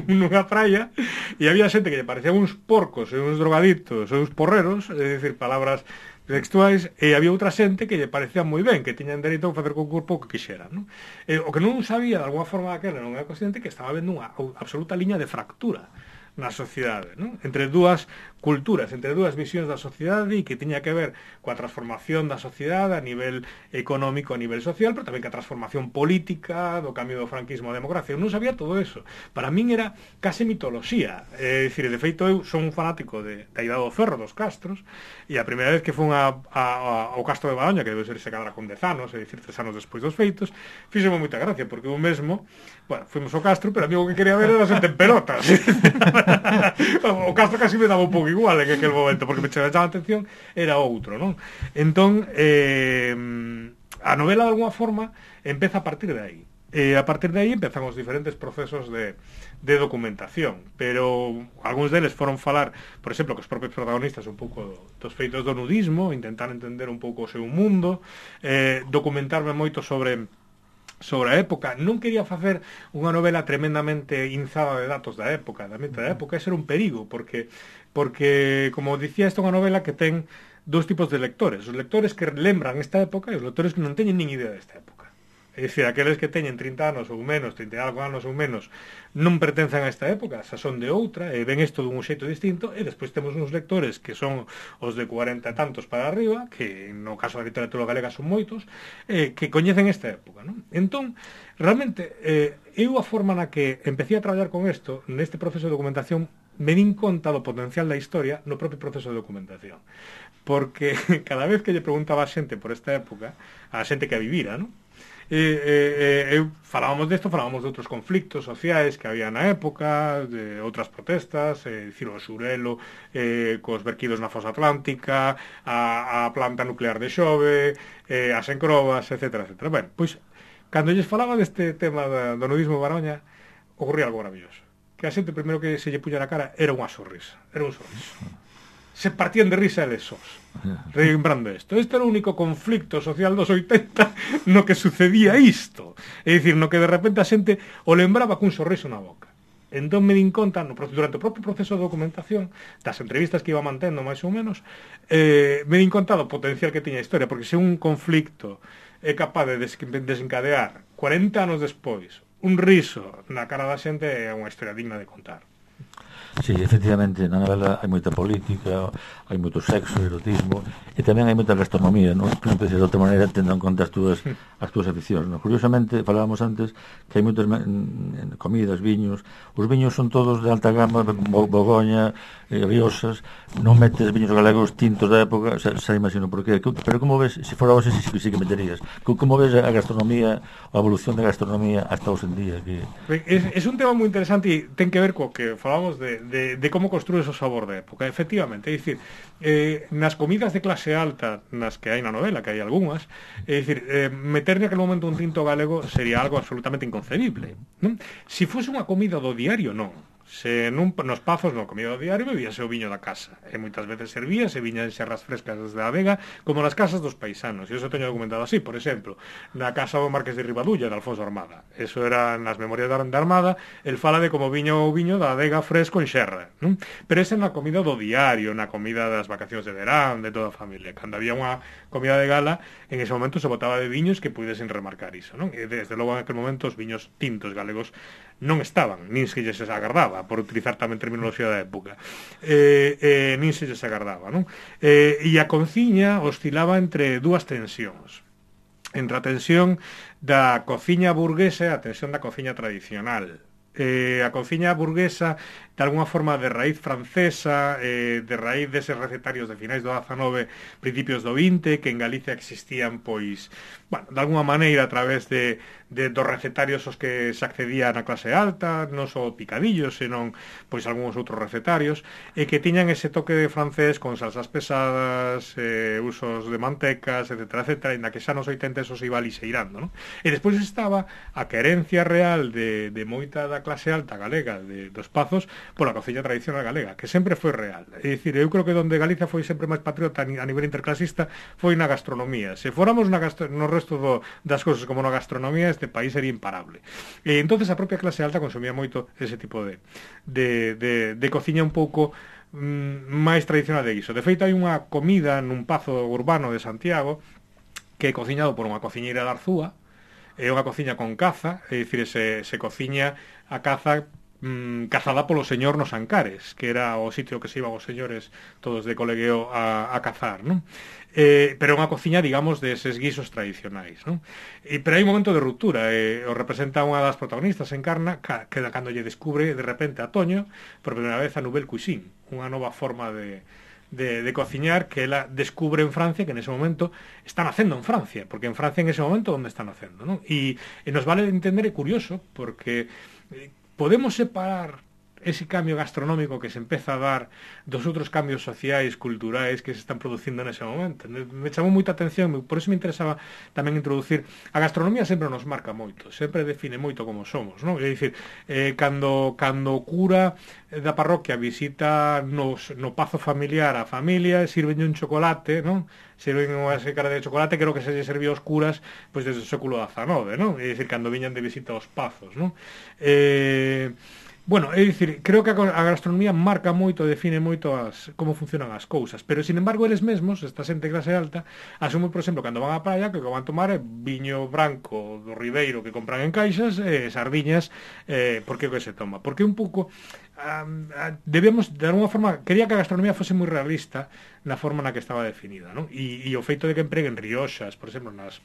nunha praia e había xente que lle parecían uns porcos e uns drogaditos e uns porreros, é dicir, palabras textuais, e había outra xente que lle parecía moi ben, que tiñan dereito a facer co corpo o que quixeran, non? E, o que non sabía, de alguma forma daquela, non era consciente que estaba vendo unha absoluta liña de fractura na sociedade, non? Entre dúas culturas, entre dúas visións da sociedade, e que tiña que ver coa transformación da sociedade a nivel económico, a nivel social, pero tamén coa transformación política, do cambio do franquismo á democracia. Eu non sabía todo eso. Para min era case mitoloxía. É dicir, de feito, eu son un fanático de, da Idade do Ferro, dos castros, e a primeira vez que fun a, a, a, ao castro de Baroña, que debe ser se cadra con dez anos, é dicir, tres anos despois dos feitos, fíxeme moita gracia, porque eu mesmo, bueno, fuimos ao castro, pero a mí o que quería ver era xente en pelotas. O castro casi me daba un pouco igual en aquel momento, porque me chamaba a atención era outro, non? Entón, eh, a novela de alguma forma empeza a partir de aí. E a partir de aí empezan os diferentes procesos de, de documentación, pero algúns deles foron falar, por exemplo, que os propios protagonistas un pouco dos feitos do nudismo, intentar entender un pouco o seu mundo, eh, documentarme moito sobre sobre a época. Non quería facer unha novela tremendamente inzada de datos da época, da mente da época, ese era un perigo, porque, porque como dicía, esta é unha novela que ten dous tipos de lectores, os lectores que lembran esta época e os lectores que non teñen nin idea desta época. É dicir, aqueles que teñen trinta anos ou menos, trinta e algo anos ou menos, non pertencen a esta época, xa son de outra, e ven isto dun xeito distinto, e despois temos uns lectores que son os de cuarenta e tantos para arriba, que no caso da literatura galega son moitos, eh, que coñecen esta época, non? Entón, realmente, eh, eu a forma na que empecé a traballar con isto, neste proceso de documentación, me din conta do potencial da historia no propio proceso de documentación. Porque cada vez que lle preguntaba a xente por esta época, a xente que a vivira, non? E, e, e, falábamos desto, falábamos de outros conflictos sociais que había na época, de outras protestas, é dicir, o Xurelo eh, cos verquidos na fosa atlántica, a, a planta nuclear de Xove, eh, as encrobas, etcétera, etcétera. Ben, pois, cando lles falaba deste tema da, do nudismo de Baroña, ocorría algo maravilloso. Que a xente, primeiro que se lle puña na cara, era unha sonrisa, era un sorriso. Se partían de risa eles sós, lembrando isto. Este era o único conflicto social dos oitenta no que sucedía isto. É dicir, no que de repente a xente o lembraba cun sorriso na boca. Entón me din conta, no, durante o propio proceso de documentación, das entrevistas que iba mantendo máis ou menos, eh, me din conta do potencial que tiña a historia, porque se un conflicto é capaz de desencadear cuarenta anos despois un riso na cara da xente, é unha historia digna de contar. Sí, efectivamente, na novela hai moita política, hai moito sexo, erotismo, e tamén hai moita gastronomía, non? Que non penses de outra maneira tendo en conta as túas, as túas aficións, non? Curiosamente, falábamos antes que hai moitas comidas, viños, os viños son todos de alta gama, Bogoña, eh, Riosas, non metes viños galegos tintos da época, xa, xa imagino por qué, pero como ves, se fora hoxe, sí, sí que meterías, como ves a gastronomía, a evolución da gastronomía hasta hoxe en día? Que... É, é un tema moi interesante e ten que ver co que falábamos de De, de como construes o sabor da época, efectivamente, é dicir, eh, nas comidas de clase alta, nas que hai na novela, que hai algunhas, é dicir, eh, meter naquele momento un tinto galego sería algo absolutamente inconcebible, non? Si fose unha comida do diario, non. Se nun, nos pazos, no comida do diario, bebíase o viño da casa, e moitas veces servíase viña en xerras frescas desde a Vega, como nas casas dos paisanos, e iso teño documentado así, por exemplo, na casa do Marqués de Ribadulla, de Alfonso Armada. Eso era nas memorias da Armada, el fala de como viño o viño da Vega fresco en xerra, non? Pero esa é na comida do diario, na comida das vacacións de verán, de toda a familia. Cando había unha comida de gala, en ese momento se botaba de viños que pudesen remarcar iso, non? E desde logo en aquel momento os viños tintos galegos non estaban, nin se lles agardaba, por utilizar tamén terminoloxía da época, eh, eh, nin se lles agardaba, non? Eh, e a cociña oscilaba entre dúas tensións, entre a tensión da cociña burguesa e a tensión da cociña tradicional. Eh, a cociña burguesa de alguna forma de raíz francesa, eh, de raíz deses recetarios de finais do dezanove, principios do vinte, que en Galicia existían, pois, bueno, de alguna maneira a través de, de dos recetarios os que se accedía na clase alta, non só picadillos, senón, pois, algúns outros recetarios, e que tiñan ese toque de francés con salsas pesadas, eh, usos de mantecas, etcétera, etcétera, en na que xa nos oitenta eso se iba lixeirando, non? E despois estaba a querencia real de, de moita da clase alta galega de, dos pazos pola cociña tradicional galega, que sempre foi real. É dicir, eu creo que donde Galicia foi sempre máis patriota a nivel interclasista foi na gastronomía. Se fóramos na gastro, no resto do, das cousas como na gastronomía, este país sería imparable. E entonces a propia clase alta consumía moito ese tipo de, de, de, de cociña un pouco mm, máis tradicional de iso. De feito, hai unha comida nun pazo urbano de Santiago que é cociñado por unha cociñeira de Arzúa, é unha cociña con caza, é dicir, se, se cociña a caza mm, cazada polo señor nos Ancares, que era o sitio que se iban os señores todos de colegueo a, a cazar, non? Eh, pero unha cociña, digamos, de eses guisos tradicionais, non? E, pero hai un momento de ruptura, eh, o representa unha das protagonistas, encarna, que cando lle descubre de repente a Toño, por primeira vez a Nouvelle Cuisine, unha nova forma de De, de cociñar que ela descubre en Francia, que en ese momento está nacendo en Francia, porque en Francia en ese momento onde está nacendo, non? E, e nos vale entender, é curioso, porque eh, podemos separar ese cambio gastronómico que se empeza a dar dos outros cambios sociais, culturais que se están producindo nese momento. Me chamou moita atención, por eso me interesaba tamén introducir. A gastronomía sempre nos marca moito, sempre define moito como somos, non? É dicir, eh, cando, cando o cura da parroquia visita nos, no pazo familiar a familia, sirven un chocolate, non? sirven unha xícara de chocolate, creo que se lle serviu aos curas pois desde o século dezanove, non? É dicir, cando viñan de visita aos pazos, non? Eh... Bueno, é dicir, creo que a gastronomía marca moito, define moito as, como funcionan as cousas, pero, sin embargo, eles mesmos, esta xente clase alta, asumen, por exemplo, cando van á praia, que o que van tomar é viño branco do Ribeiro que compran en caixas, e sardiñas, eh, por que que se toma? Porque un pouco, um, debemos, de alguna forma, quería que a gastronomía fose moi realista na forma na que estaba definida, non? E, e o feito de que empreguen rioxas, por exemplo, nas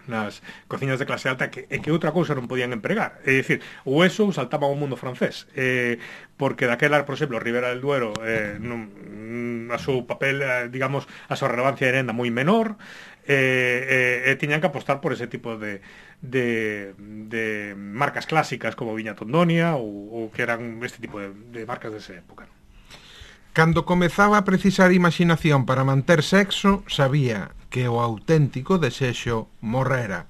nas cociñas de clase alta que, e que outra cousa non podían empregar, é dicir, o eso saltaba ao mundo francés, eh, porque daquela, por exemplo, Ribera del Duero eh, non, a seu papel, eh, digamos, a súa relevancia era ainda moi menor, e eh, eh, tiñan que apostar por ese tipo de de, de marcas clásicas como Viña Tondonia ou, ou que eran este tipo de, de marcas desa época. Cando comezaba a precisar imaginación para manter sexo, sabía que o auténtico desexo morrera.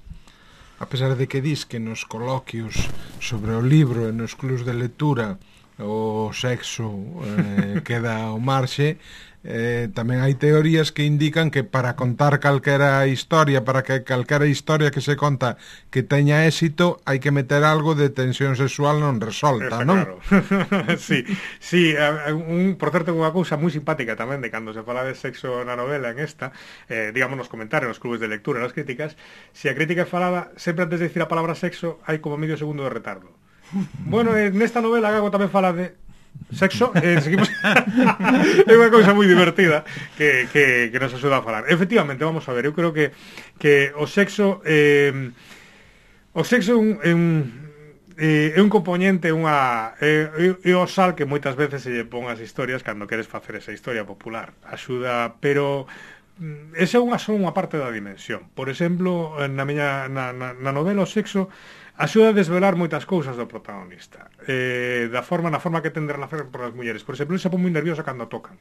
A pesar de que dis que nos coloquios sobre o libro e nos clubs de lectura o sexo eh, queda ao marxe, eh, tamén hai teorías que indican que para contar calquera historia, para que calquera historia que se conta que teña éxito, hai que meter algo de tensión sexual non resolta, non? Claro. sí, sí, un, por certo, unha cousa moi simpática tamén de cando se fala de sexo na novela en esta, eh, digamos nos comentarios, nos clubes de lectura, nas críticas, se a crítica falaba, sempre antes de decir a palabra sexo, hai como medio segundo de retardo. Bueno, eh, nesta novela Gago tamén fala de sexo, eh, seguimos é unha cousa moi divertida que, que, que nos axuda a falar. Efectivamente, vamos a ver, eu creo que, que o sexo eh, o sexo é un, é un, é un componente, unha é, é o sal que moitas veces se lle pon as historias cando queres facer esa historia popular, axuda, pero esa é unha só unha parte da dimensión. Por exemplo, na miña na, na, na novela o sexo axuda a desvelar moitas cousas do protagonista, eh, da forma, na forma que ten de relacionar por as mulleres. Por exemplo, ele se pon moi nervioso cando tocan.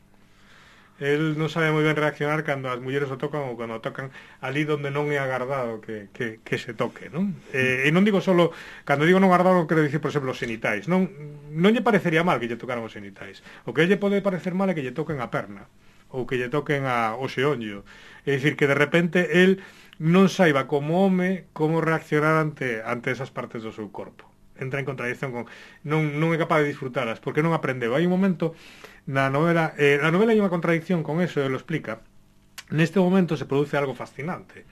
El non sabe moi ben reaccionar cando as mulleres o tocan ou cando o tocan ali onde non é agardado que, que, que se toque, non? Eh, e non digo solo, cando digo non agardado, quero dicir, por exemplo, os xenitais. Non, non lle parecería mal que lle tocaran os xenitais. O que lle pode parecer mal é que lle toquen a perna ou que lle toquen a, o xeonllo. É dicir, que de repente el non saiba como home como reaccionar ante ante esas partes do seu corpo. Entra en contradicción con non non é capaz de disfrutalas porque non aprendeu. Hai un momento na novela, eh, na novela hai unha contradicción con eso, ele lo explica. Neste momento se produce algo fascinante.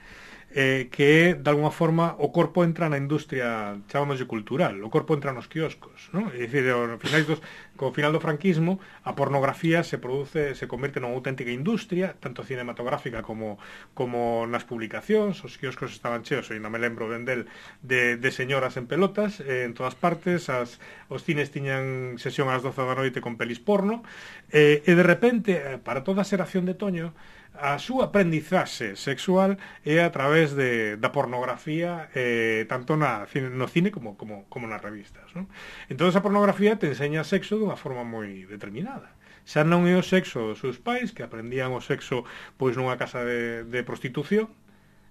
Eh, que é, de alguna forma, o corpo entra na industria, chamámoslle cultural, o corpo entra nos quioscos, non? É dicir, ao final dos, co final do franquismo, a pornografía se produce, se converte nunha auténtica industria, tanto cinematográfica como, como nas publicacións, os quioscos estaban cheos, e non me lembro ben del, de, de señoras en pelotas, eh, en todas partes, as, os cines tiñan sesión ás doce da noite con pelis porno, eh, e de repente, para toda a xeración de Toño, a súa aprendizaxe sexual é a través de, da pornografía, eh, tanto na, no cine como, como, como nas revistas, non? Entón esa pornografía te enseña sexo dunha forma moi determinada. Xa non é o sexo dos seus pais, que aprendían o sexo pois nunha casa de, de prostitución.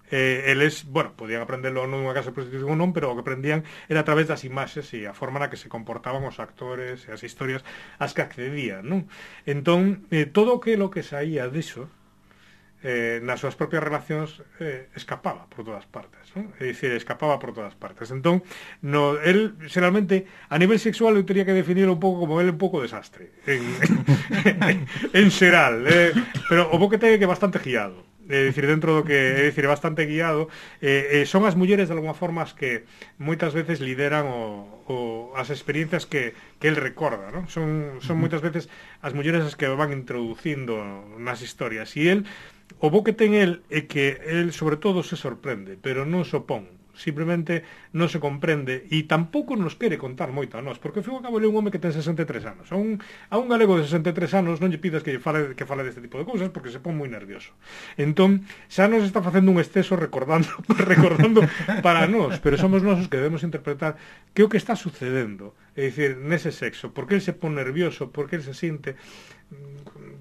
Eh, eles, bueno, podían aprenderlo nunha casa de prostitución ou non, pero o que aprendían era a través das imaxes e a forma na que se comportaban os actores e as historias as que accedían, non? Entón, eh, todo o que lo que saía diso, Eh, nas súas propias relacións eh, escapaba por todas partes, non? É dicir, escapaba por todas partes. Entón, no, el, xeralmente, a nivel sexual eu teria que definirlo un pouco como el un pouco desastre en, en, en xeral, eh, pero o bo que ten que é bastante guiado, é dicir, dentro do que é dicir, bastante guiado, eh, eh, son as mulleres de alguma forma as que moitas veces lideran o, o, as experiencias que, que el recorda, non? Son, son moitas veces as mulleres as que van introducindo nas historias, e el o bo que ten el é que el sobre todo se sorprende, pero non se opón, simplemente non se comprende e tampouco nos quere contar moito a nós, porque ao fin e ao cabo é un home que ten sesenta e tres anos. A un, a un galego de sesenta e tres anos non lle pidas que lle fale, que fale deste tipo de cousas porque se pon moi nervioso. Entón, xa nos está facendo un exceso recordando recordando para nós, pero somos nós os que debemos interpretar que é o que está sucedendo, é dicir, nese sexo, porque el se pon nervioso, porque el se sinte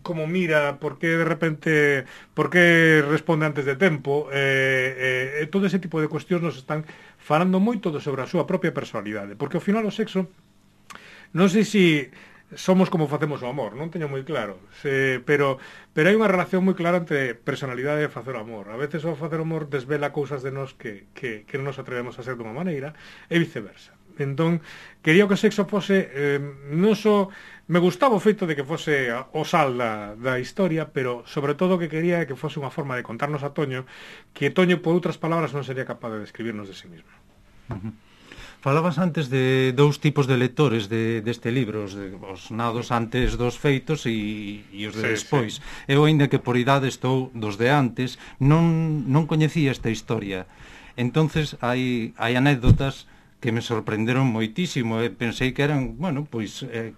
como mira, por que de repente, por que responde antes de tempo, eh, eh, todo ese tipo de cuestións nos están falando moito sobre a súa propia personalidade, porque ao final o sexo, non sei se somos como facemos o amor, non teño moi claro, se, pero pero hai unha relación moi clara entre personalidade e facer o amor. A veces o facer o amor desvela cousas de nós que, que, que non nos atrevemos a ser dunha maneira e viceversa. Entón, quería que o sexo fose eh, non só me gustaba o feito de que fose o sal da, da historia, pero sobre todo que quería que fose unha forma de contarnos a Toño que Toño, por outras palabras, non sería capaz de describirnos de sí mismo. Uh-huh. Falabas antes de dous tipos de lectores de, deste libro, os, de, os nados antes dos feitos e, e os de sí, despois. Sí. Eu, ainda que por idade estou dos de antes, non, non coñecía esta historia. Entonces hai, hai anécdotas que me sorprenderon moitísimo e pensei que eran, bueno, pois eh,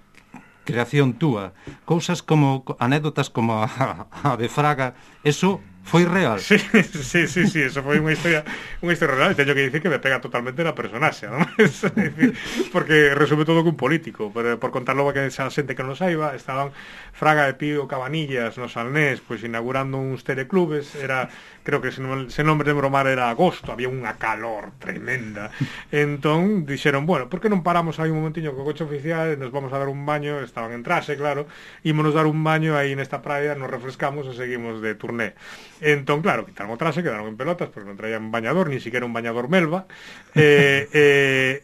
creación túa. Cousas como, anécdotas como a, a de Fraga, eso foi real. Sí, sí, sí, sí, eso foi unha historia unha historia real, e teño que dicir que me pega totalmente na personaxe, non? Es decir, porque resume todo que un político, pero por contarlo que esa xente que non saiba, estaban Fraga e Pío Cabanillas no Salnés, pois inaugurando uns teleclubes, era, creo que se non, se non me lembro mal era agosto, había unha calor tremenda. Entón, dixeron, bueno, por que non paramos aí un momentiño co coche oficial, nos vamos a dar un baño, estaban en traxe, claro, ímonos dar un baño aí nesta praia, nos refrescamos e seguimos de turné. Entón, claro, quitaron o traxe, quedaron en pelotas, porque non traían bañador, ni siquiera un bañador melva, e, e,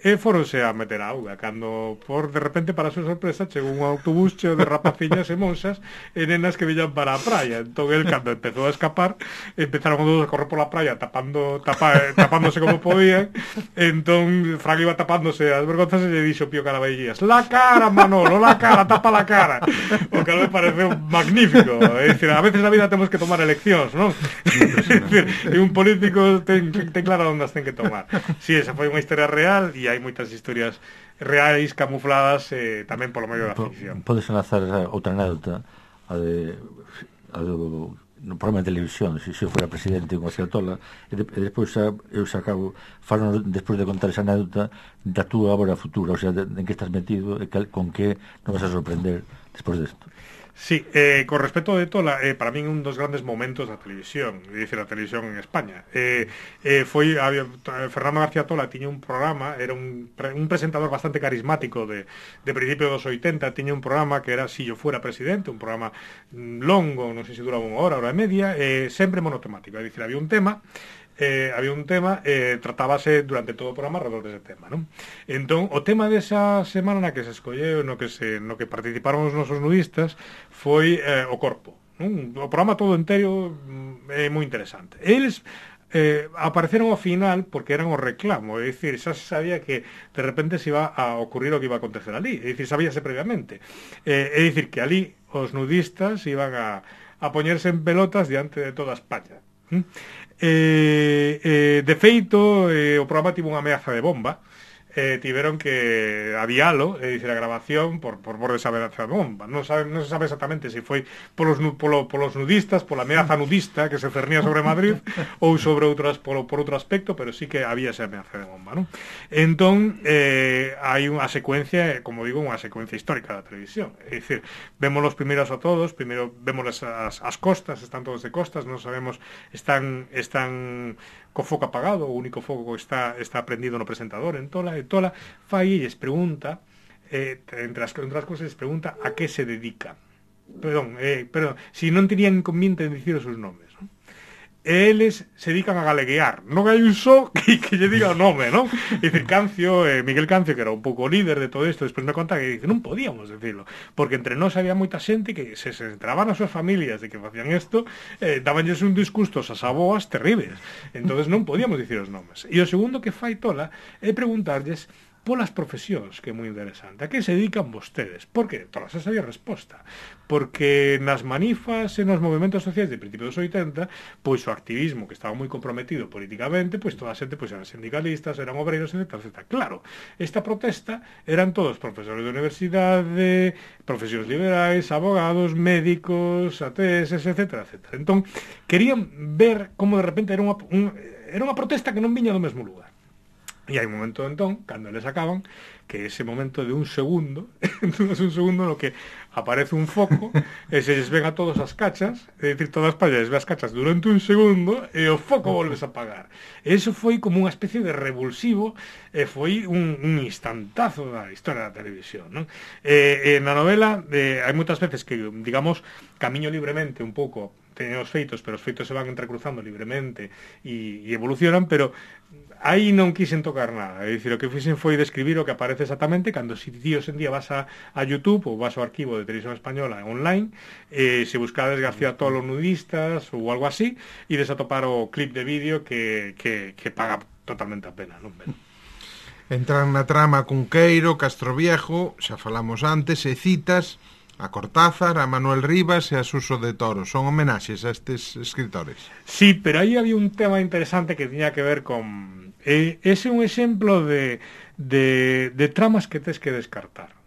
e foronse a meter a auga, cando, por de repente, para a súa sorpresa, chegou un autobús cheo de rapaciñas e monsas e nenas que villan para a praia. Entón, el, cando empezou a escapar, empezaron todos a correr pola praia tapando, tapa, tapándose como podían. Entón, Fraga iba tapándose as vergonzas e lle dixo Pío Caraballas, la cara, Manolo, la cara, tapa la cara. O que me pareceu magnífico. É dicir, a veces na vida temos que tomar eleccións, non? E un político ten, ten claro onde as ten que tomar. Si, sí, esa foi unha historia real e hai moitas historias reais camufladas eh, tamén polo medio da ficción. Podes enlazar outra anécdota a de, a do no programa de televisión, se si eu fora presidente con a Tola, e, de, e despois xa, eu xa acabo falando despois de contar esa anécdota da túa obra futura, o sea, de, de en que estás metido e que, con que non vas a sorprender despois desto. Sí, eh, con respecto de Tola, eh, para min un dos grandes momentos da televisión, é dicir, a televisión en España. Eh, eh, foi había, Fernando García Tola tiña un programa, era un, un presentador bastante carismático de, de principio dos oitenta, tiña un programa que era Si yo fuera presidente, un programa longo, non sei se duraba unha hora, hora e media, eh, sempre monotemático, é dicir, había un tema, Eh, había un tema, eh, tratábase durante todo o programa alrededor dese tema, non? Entón, o tema desa semana na que se escolleu, no que se no que participaron os nosos nudistas, foi eh, o corpo, non? O programa todo entero é moi interesante. Eles eh, apareceron ao final porque eran o reclamo, é dicir, xa se sabía que de repente se iba a ocurrir o que iba a acontecer ali, é dicir, sabíase previamente. Eh, é dicir, que ali os nudistas iban a, a poñerse en pelotas diante de toda España. ¿Mm? Eh, eh, de feito, eh, o programa tivo unha ameaza de bomba, eh, tiveron que adialo, é dicir, a grabación por, por por esa ameaza de bomba. Non, sabe, non se sabe exactamente se foi polos, polo, polos nudistas, pola ameaza nudista que se cernía sobre Madrid ou sobre outras polo, por outro aspecto, pero sí que había esa ameaza de bomba, non? Entón, eh, hai unha secuencia, como digo, unha secuencia histórica da televisión. É dicir, vemos los primeros a todos, primeiro vemos as, as costas, están todos de costas, non sabemos, están están co foco apagado, o único foco que está está prendido no presentador en Tola, e Tola fai e les pregunta, eh, entre, as, entre as cosas les pregunta a que se dedica. Perdón, eh, perdón, si non tenían inconveniente en dicir os seus nomes, non? E eles se dedican a galeguear, non hai un só que, que lle diga o nome, non? E dicir, Cancio, eh, Miguel Cancio, que era un pouco líder de todo isto, despois me conta que dice, non podíamos decirlo, porque entre nós había moita xente que se, se entraban as súas familias de que facían isto, eh, dabanlles un disgustos ás aboas terribles, entonces non podíamos dicir os nomes. E o segundo que fai Tola é preguntarlles polas profesións, que é moi interesante. A que se dedican vostedes? Por que? Todas esa sabía resposta. Porque nas manifas e nos movimentos sociais de principio dos oitenta, pois o activismo que estaba moi comprometido políticamente, pois toda a xente pois eran sindicalistas, eran obreiros, etcétera, etcétera. Claro, esta protesta eran todos profesores de universidade, profesións liberais, abogados, médicos, A T S, etcétera, etcétera. Entón, querían ver como de repente era unha, un, era unha protesta que non viña do mesmo lugar. E hai un momento entón, cando eles acaban, que ese momento de un segundo, entón é un segundo no que aparece un foco e se lles ven a todos as cachas, é dicir, todas as pallas ve as cachas durante un segundo e o foco volves a apagar. E iso foi como unha especie de revulsivo e foi un, un instantazo da historia da televisión, non? E, e na novela eh, hai moitas veces que, digamos, camiño libremente un pouco, teñen os feitos, pero os feitos se van entrecruzando libremente e, e evolucionan, pero aí non quixen tocar nada, é dicir, o que fixen foi describir o que aparece exactamente cando si ti hoxe en día vas a, a YouTube ou vas ao arquivo de Televisión Española online, eh, se buscades García Tolo nudistas ou algo así, e desatopar o clip de vídeo que, que, que paga totalmente a pena, non? Ben. Entran na trama Cunqueiro, Castroviejo, xa falamos antes, e citas a Cortázar, a Manuel Rivas e a Suso de Toro. Son homenaxes a estes escritores. Sí, pero aí había un tema interesante que tiña que ver con... Eh, ese é un exemplo de, de, de tramas que tes que descartar.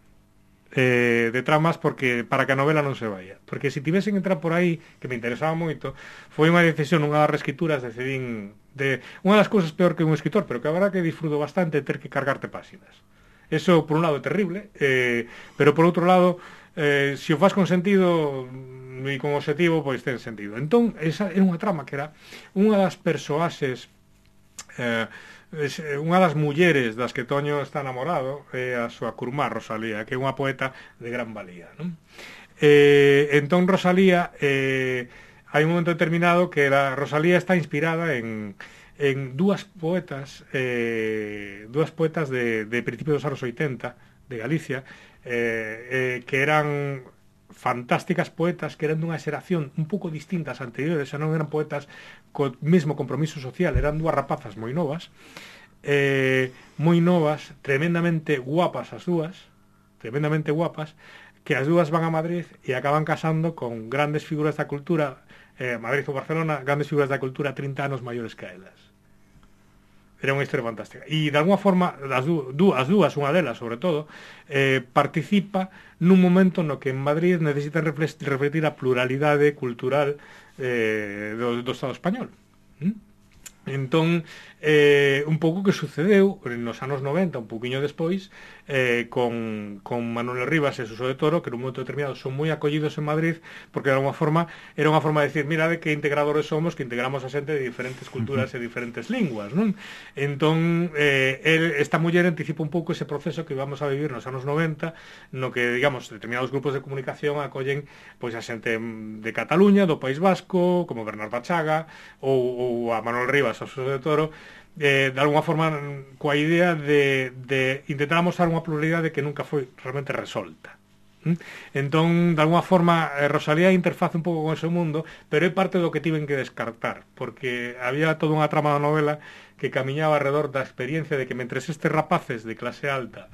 Eh, de tramas porque para que a novela non se vaya. Porque se tivesen entrar por aí, que me interesaba moito, foi unha decisión, unha das reescrituras, decidín... De, unha das cousas peor que un escritor, pero que a verdad que disfruto bastante ter que cargarte páxinas. Eso, por un lado, é terrible, eh, pero por outro lado... Eh, se o faz con sentido e con objetivo, pois ten sentido. Entón, esa era unha trama que era unha das persoaxes, eh, unha das mulleres das que Toño está enamorado, é a súa curmá Rosalía, que é unha poeta de gran valía, non? Eh, entón Rosalía, eh, hai un momento determinado que la Rosalía está inspirada en en dúas poetas, eh, dúas poetas de, de principios dos anos oitenta de Galicia, eh, eh, que eran fantásticas poetas, que eran dunha xeración un pouco distinta ás anteriores, xa non eran poetas co mesmo compromiso social, eran dúas rapazas moi novas, eh, moi novas, tremendamente guapas as dúas, tremendamente guapas, que as dúas van a Madrid e acaban casando con grandes figuras da cultura, eh, Madrid ou Barcelona, grandes figuras da cultura trinta anos maiores que elas. Era unha historia fantástica. E, de alguma forma, as, dú, as dúas, unha delas, sobre todo, eh, participa nun momento no que en Madrid necesitan refletir a pluralidade cultural eh, do, do Estado español. ¿Mm? Entón, eh, un pouco que sucedeu nos anos noventa, un pouquiño despois, eh, con, con Manuel Rivas e Suso de Toro, que nun momento determinado son moi acollidos en Madrid, porque de alguma forma era unha forma de decir, mira de que integradores somos, que integramos a xente de diferentes culturas uh-huh. e diferentes linguas, non? Entón, eh, el, esta muller anticipa un pouco ese proceso que vamos a vivir nos anos noventa, no que, digamos, determinados grupos de comunicación acollen pois a xente de Cataluña, do País Vasco, como Bernard Bachaga, ou, ou a Manuel Rivas, a Suso de Toro, eh, de alguna forma coa idea de, de intentar mostrar unha pluralidade que nunca foi realmente resolta. ¿Mm? Entón, de alguna forma, eh, Rosalía interface un pouco con ese mundo, pero é parte do que tiven que descartar, porque había toda unha trama da novela que camiñaba alrededor da experiencia de que mentres estes rapaces de clase alta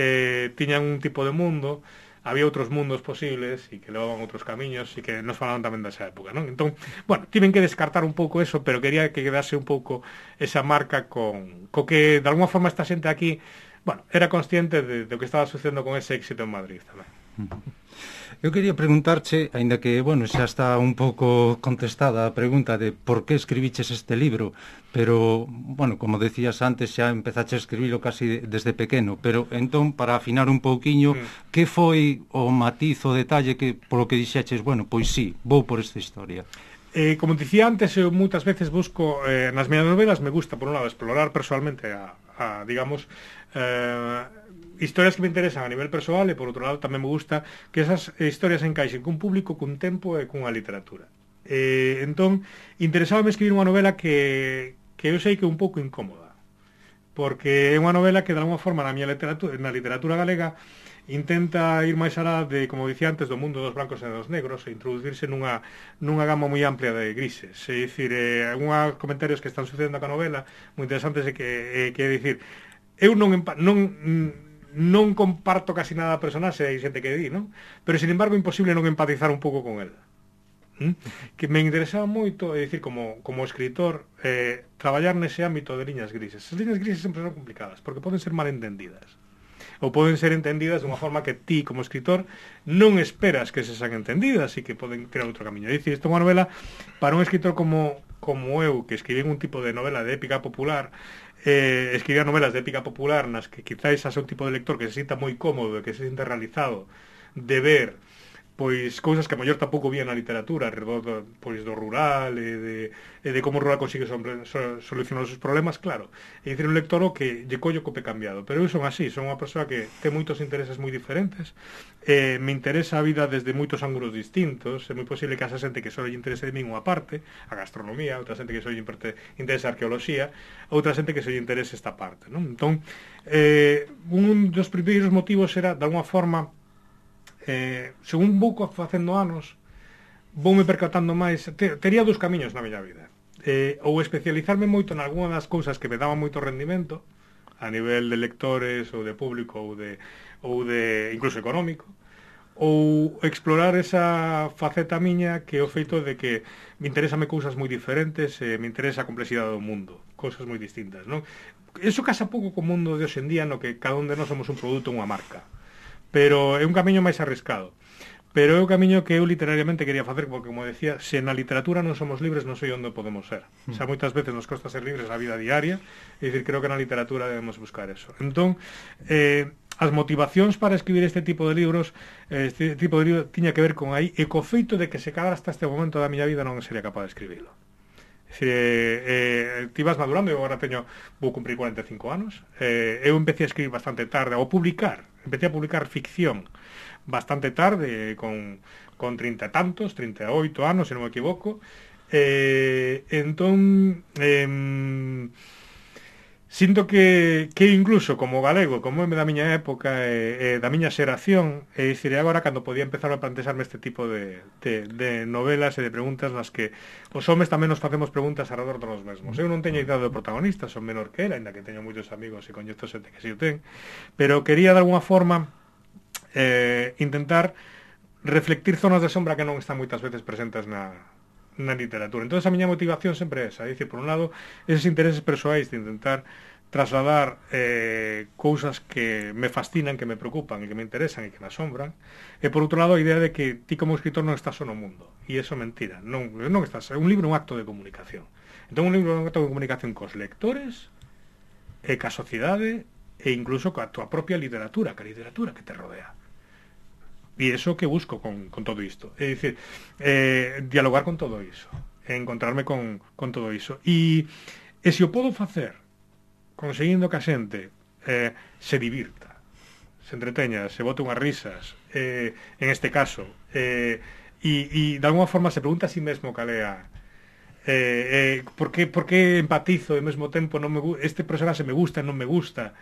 eh, tiñan un tipo de mundo, había outros mundos posibles e que levaban outros camiños e que nos falaban tamén desa época, non? Entón, bueno, tiven que descartar un pouco eso, pero quería que quedase un pouco esa marca con co que, de alguna forma, esta xente aquí, bueno, era consciente de, de o que estaba sucedendo con ese éxito en Madrid tamén. Eu quería preguntarche, aínda que, bueno, xa está un pouco contestada a pregunta de por que escribiches este libro, pero, bueno, como decías antes, xa empezaste a escribilo casi desde pequeno, pero entón, para afinar un pouquiño, mm. que foi o matiz, o detalle que, polo que dixeches, bueno, pois sí, vou por esta historia? Eh, como dicía antes, eu moitas veces busco, eh, nas miñas novelas me gusta, por un lado, explorar personalmente a, a digamos, eh, historias que me interesan a nivel persoal e, por outro lado, tamén me gusta que esas historias encaixen cun público, cun tempo e cunha literatura. Eh, entón, interesábame escribir unha novela que, que eu sei que é un pouco incómoda, porque é unha novela que, de alguma forma, na miña literatura, na literatura galega, intenta ir máis alá de, como dicía antes, do mundo dos blancos e dos negros e introducirse nunha, nunha gama moi amplia de grises. É dicir, eh, algúns comentarios que están sucedendo ca novela moi interesantes é que, eh, que é dicir, eu non, non non comparto casi nada a personaxe, hai xente que di, non? Pero, sin embargo, é imposible non empatizar un pouco con el. ¿Mm? Que me interesaba moito, é dicir, como, como escritor, eh, traballar nese ámbito de liñas grises. As liñas grises sempre son complicadas, porque poden ser mal entendidas. ou poden ser entendidas dunha forma que ti, como escritor, non esperas que se sean entendidas e que poden tirar outro camiño. É dicir, isto é unha novela para un escritor como, como eu, que escribín un tipo de novela de épica popular, eh, escribir novelas de épica popular nas que quizás xa é un tipo de lector que se sinta moi cómodo, que se sinta realizado de ver pois cousas que a mellor tampouco vía na literatura alrededor do, pois, do rural e de, e de como o rural consigue sobre, so, solucionar os seus problemas, claro. É dicir, un lector o que lle collo cope cambiado, pero eu son así, son unha persoa que ten moitos intereses moi diferentes, eh, me interesa a vida desde moitos ángulos distintos, é moi posible que haxa xente que só lle interese de min unha parte, a gastronomía, outra xente que só lle interese a arqueoloxía, outra xente que só lle interese esta parte, non? Entón, eh, un dos primeiros motivos era, de alguma forma, Eh, según vou facendo anos, voume percatando máis, te, tería dous camiños na miña vida, eh, ou especializarme moito en algunha das cousas que me daban moito rendimento a nivel de lectores ou de público ou de, ou de incluso económico, ou explorar esa faceta miña que é o feito de que me interesame cousas moi diferentes, eh, me interesa a complexidade do mundo, cousas moi distintas, non? Eso casa pouco co mundo de hoxe en día no que cada un de nós somos un produto, unha marca, pero é un camiño máis arriscado, pero é o camiño que eu literariamente quería facer, porque, como decía, se na literatura non somos libres, non sei onde podemos ser. Mm. Xa moitas veces nos costa ser libres na vida diaria, é dicir, creo que na literatura debemos buscar eso. Entón, eh, as motivacións para escribir este tipo de libros, este tipo de libros tiña que ver con aí, e co feito de que se quedara hasta este momento da miña vida non sería capaz de escribilo. É dicir, eh, eh, ti vas madurando, eu agora teño, vou cumprir cuarenta e cinco anos, eh, eu empecé a escribir bastante tarde, ou publicar, empecé a publicar ficción bastante tarde, con, con trinta e tantos, trinta e oito anos, se non me equivoco, eh, entón, eh, sinto que, que incluso como galego, como é da miña época, e, e da miña xeración, e dicir, agora cando podía empezar a plantearme este tipo de, de, de novelas e de preguntas nas que os homes tamén nos facemos preguntas alrededor dos mesmos. Eu non teño idade do protagonista, son menor que ela, ainda que teño moitos amigos e coñezo xente que si o ten, pero quería de alguna forma eh, intentar reflectir zonas de sombra que non están moitas veces presentes na na literatura. Entón, a miña motivación sempre é esa, é dicir, por un lado, eses intereses persoais de intentar trasladar eh, cousas que me fascinan, que me preocupan e que me interesan e que me asombran, e por outro lado, a idea de que ti como escritor non estás só no mundo, e iso é mentira, non, non estás, un libro é un acto de comunicación. Entón, un libro é un acto de comunicación cos lectores, e ca sociedade, e incluso coa tua propia literatura, ca literatura que te rodea. E iso que busco con, con todo isto. É dicir, eh, dialogar con todo iso, encontrarme con, con todo iso. E, e se o podo facer conseguindo que a xente eh, se divirta, se entreteña, se bote unhas risas, eh, en este caso, eh, e, e de alguma forma se pregunta a si mesmo cal é a eh, eh, por, que, por que empatizo e ao mesmo tempo non me, este personaxe me gusta e non me gusta,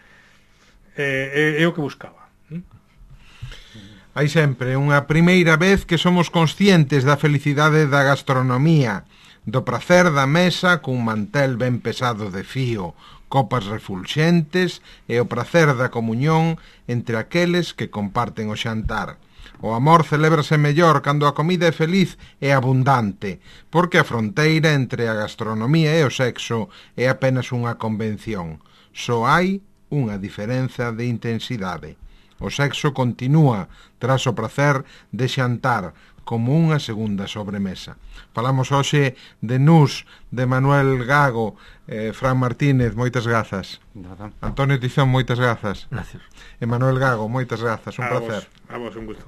eh, é, é o que buscaba. ¿Mm? Hai sempre unha primeira vez que somos conscientes da felicidade da gastronomía, do prazer da mesa cun mantel ben pesado de fío, copas refulxentes e o prazer da comuñón entre aqueles que comparten o xantar. O amor celébrase mellor cando a comida é feliz e abundante, porque a fronteira entre a gastronomía e o sexo é apenas unha convención. Só hai unha diferenza de intensidade. O sexo continúa tras o prazer de xantar como unha segunda sobremesa. Falamos hoxe de Nus, de Manuel Gago, eh, Fran Martínez, moitas grazas. Nada. Antonio Tizón, moitas grazas. Gracias. E Manuel Gago, moitas grazas, un a placer. Vos, a vos, un gusto.